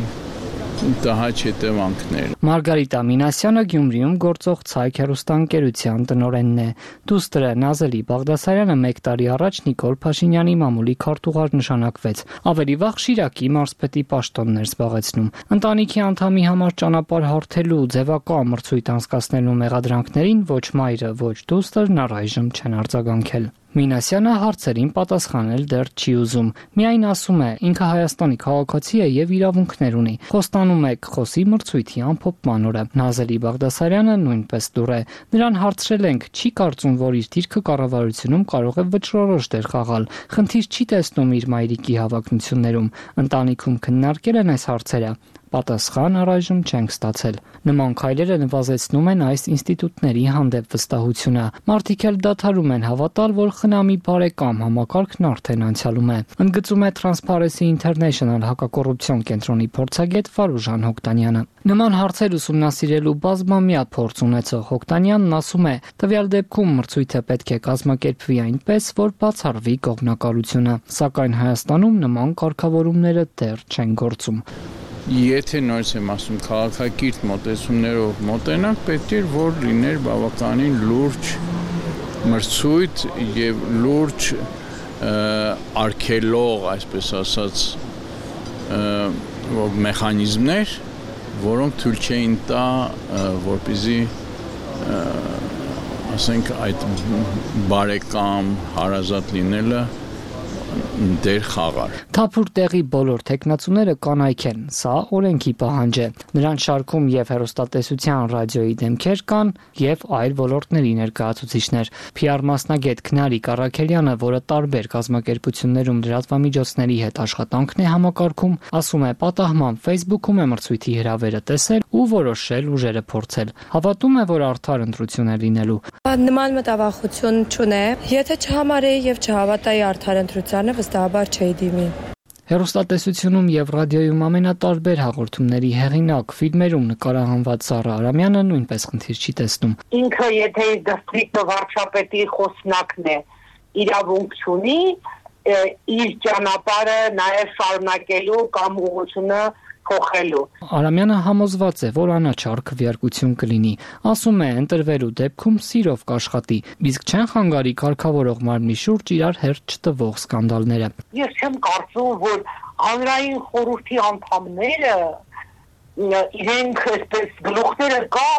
տհաճ հետևանքներ։ Մարգարիտա Մինասյանը Գյումրիում գործող Ցայք հեռուստաընկերության տնօրենն է։ Դուստրը Նազելի Բաղդասարյանը մեկ տարի առաջ Նիկոլ Փաշինյանի մամուլի քարտուղար նշանակվեց։ Ավելի վաղ Շիրակի մարզպետի պաշտոններ զբաղեցնում։ Ընտանիքի անդամի համար ճանապարհ հարթելու ձևակա մրցույթ անցկացնելու մեղադրանքներին ոչ մայրը, ոչ դուստրն առայժմ չեն արձագանքել։ Մինասյանը հարցերին պատասխանել դեռ չի ուզում։ Միայն ասում է, ինքը Հայաստանի քաղաքացի է եւ իրավունքներ ունի։ Խոստանում է կխոսի մրցույթի ամփոփման օրը։ Նազելի Բաղդասարյանը նույնպես դուր է։ Նրան հարցրել ենք, չի կարծում, որ իր դիրքը կառավարությունում կարող է վճռորոշ դեր խաղալ։ Խնդիր չի տեսնում իր մայրիկի հավակնություններում։ Ընտանիքում քննարկել են այս հարցերը։ Պատասխան առայժմ չենք ստացել։ Նման քայլերը նվազեցնում են այս ինստիտուտների հանդեպ վստահությունը։ Մարդիկ էլ դադարում են հավատալ, որ խնամի բարեկամ համակարգն արդեն անցյալում է։ Ընդգծում է Transparency International հակակոռուպցիոն կենտրոնի փորձագետ Վարուժան Հոկտանյանը։ Նման հարցեր ուսումնասիրելու բազմամյա փորձ ունեցող Հոկտանյանն ասում է, տվյալ դեպքում մրցույթը պետք է կազմակերպվի այնպես, որ բացառվի կողմնակալությունը, սակայն Հայաստանում նման կարգավորումները դեռ չեն գործում։ Եթե նորից եմ ասում քաղաքակիրթ մոտեցումներով մոտենանք, պետք է որ լիներ բավականին լուրջ մրցույթ եւ լուրջ արգելող, այսպես ասած, որ մեխանիզմներ, որոնք թույլ չէին տա, որպեսզի ասենք այդ բարեկամ հարազատ լինելը դեր խաղար։ Թափուր տեղի բոլոր տեխնացուները կանայք են, սա օրենքի պահանջ է։ Նրանց շարքում եւ հեռուստատեսության ռադիոյի դեմքեր կան եւ այլ ոլորտների ներկայացուցիչներ։ Փի Ար մասնագետ Քնարիկ Առաքելյանը, որը տարբեր կազմակերպություններում լրատվամիջոցների հետ աշխատանքն է համակարգում, ասում է, պատահման Facebook-ում է մրցույթի հրավերը տեսել ու որոշել ուժերը փորձել։ Հավատում է, որ արդար ընտրություն է լինելու։ Նման մտավախություն չունեմ։ Եթե չհամարեի եւ չհավատայի արդար ընտրությանը, վստահաբար չէի դիմի։ Հեռուստատեսությունում եւ ռադիոյում ամենատարբեր հաղորդումների հեղինակ, ֆիլմերում նկարահանված Սառա Արամյանը նույնպես խնդիր չի տեսնում։ Ինքը եթե դիստրիկտ վարչապետի խոսնակն է, իրավունք ունի իր ճանապարհը նաեւ շարունակելու կամ ուղղությունը փոխելու։ Արամյանը համոզված է, որ անաչառ քվեարկություն կլինի։ Ասում է, ընտրվելու դեպքում սիրով կաշխատի, իսկ չեն խանգարի կարգավորող մարմնի շուրջ իրար հերթ չտվող սկանդալները։ Ես չեմ կարծում, որ հանրային խորհրդի անդամները իրենք այսպես գլուխները կա,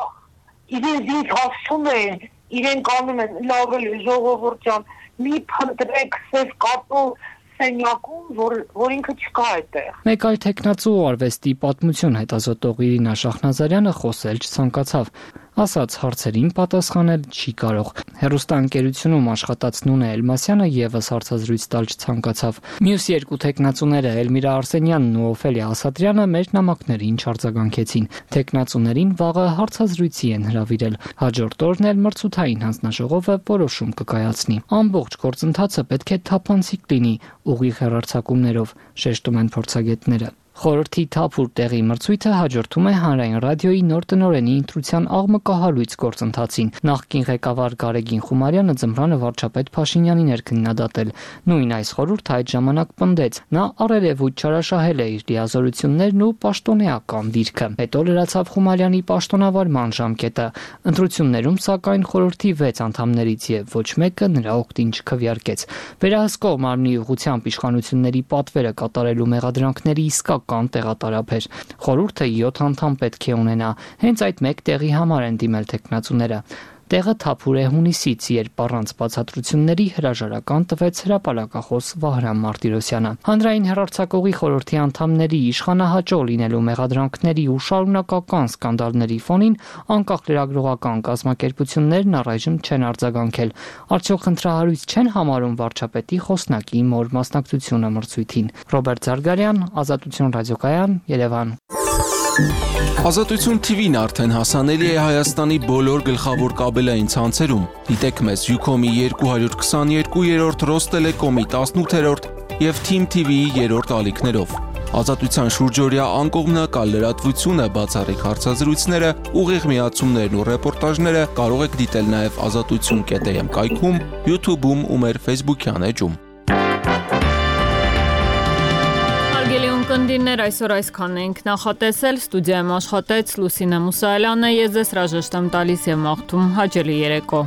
իրենց ինչ ասում են, իրենք անում են, լավ է ժողովուրդ ջան, մի փնտրեք, սև կատու սենյակում, որ, որ ինքը չկա այդտեղ։ Մեկ այլ տեխնացու արվեստի պատմություն հետազոտող Իրինա Շախնազարյանը խոսել չցանկացավ։ ասաց հարցերին պատասխանել չի կարող։ Հեռուստաընկերությունում աշխատած Նունե Էլմասյանը եւս հարցազրույց տալ չցանկացավ։ Մյուս երկու տեխնացուները Էլմիրա Արսենյանն ու Օֆելիա Ասատրյանը մեր նամակներին չարձագանքեցին։ Տեխնացուներին վաղը հարցազրույցի են հրավիրել։ Հաջորդ օրն էլ մրցութային հանձնաժողովը որոշում կկայացնի։ Ամբողջ գործընթացը պետք է թափանցիկ լինի ուղիղ հեռարձակումներով, շեշտում են փորձագետները։ Խորհրդի թափուր տեղի մրցույթը հաջորդում է Հանրային ռադիոյի նոր տնօրենի ընտրության աղմկահարույց գործընթացին։ Նախկին ղեկավար Գարեգին Խումարյանը ձմռանը վարչապետ Փաշինյանին էր քննադատել։ Նույն այս խորհուրդը այդ ժամանակ պնդեց։ Նա առերևույթ չարաշահել է իր լիազորություններն ու պաշտոնեական դիրքը։ Հետո լրացավ Խումարյանի պաշտոնավարման ժամկետը։ Ընտրություններում սակայն խորհրդի վեց անդամներից եւ ոչ մեկը նրա օգտին չքվեարկեց։ Վերահսկող մարմնի ուղղությամբ իշխանությունների պատվերը կատարելու մեղադրանքների իսկական կան տեղատարափ էր։ Խորհուրդը յոթ անդամ պետք է ունենա։ Հենց այդ մեկ տեղի համար են դիմել տեխնացուները։ Տեղը թափուր է հունիսից, երբ առանց բացատրությունների հրաժարական տվեց հրապարակախոս Վահրամ Մարտիրոսյանը։ Հանրային հեռարձակողի խորհրդի անդամների իշխանահաճո լինելու մեղադրանքների ու շարունակական սկանդալների ֆոնին անկախ լրագրողական կազմակերպություններն առայժմ չեն արձագանքել։ Արդյոք խնդրահարույց չեն համարում վարչապետի խոսնակի մոր մասնակցությունը մրցույթին։ Ռոբերտ Զարգարյան, Ազատություն ռադիոկայան, Երևան։ Ազատություն թի վին արդեն հասանելի է Հայաստանի բոլոր գլխավոր կաբելային ցանցերում։ Դիտեք մեզ Յուքոմի երկու հարյուր քսաներկու, Ռոստելեկոմի տասնութերորդ եւ Թիմ թի վիի երրորդ ալիքներով։ Ազատության շուրջօրյա անկողմնակալ լրատվությունը, բացառիկ հարցազրույցները, ուղիղ միացումներն ու ռեպորտաժները կարող եք դիտել նաեւ ազատություն կետ էմ կայքում, YouTube-ում ու մեր Facebook-յան էջում։ Կնդիրներ այսօր այսքան ենք նախատեսել, ստուդիայում աշխատեց Լուսինե Մուսայելյանը, ես ձեզ հրաժեշտ եմ տալիս եւ մաղթում հաճելի երեկո։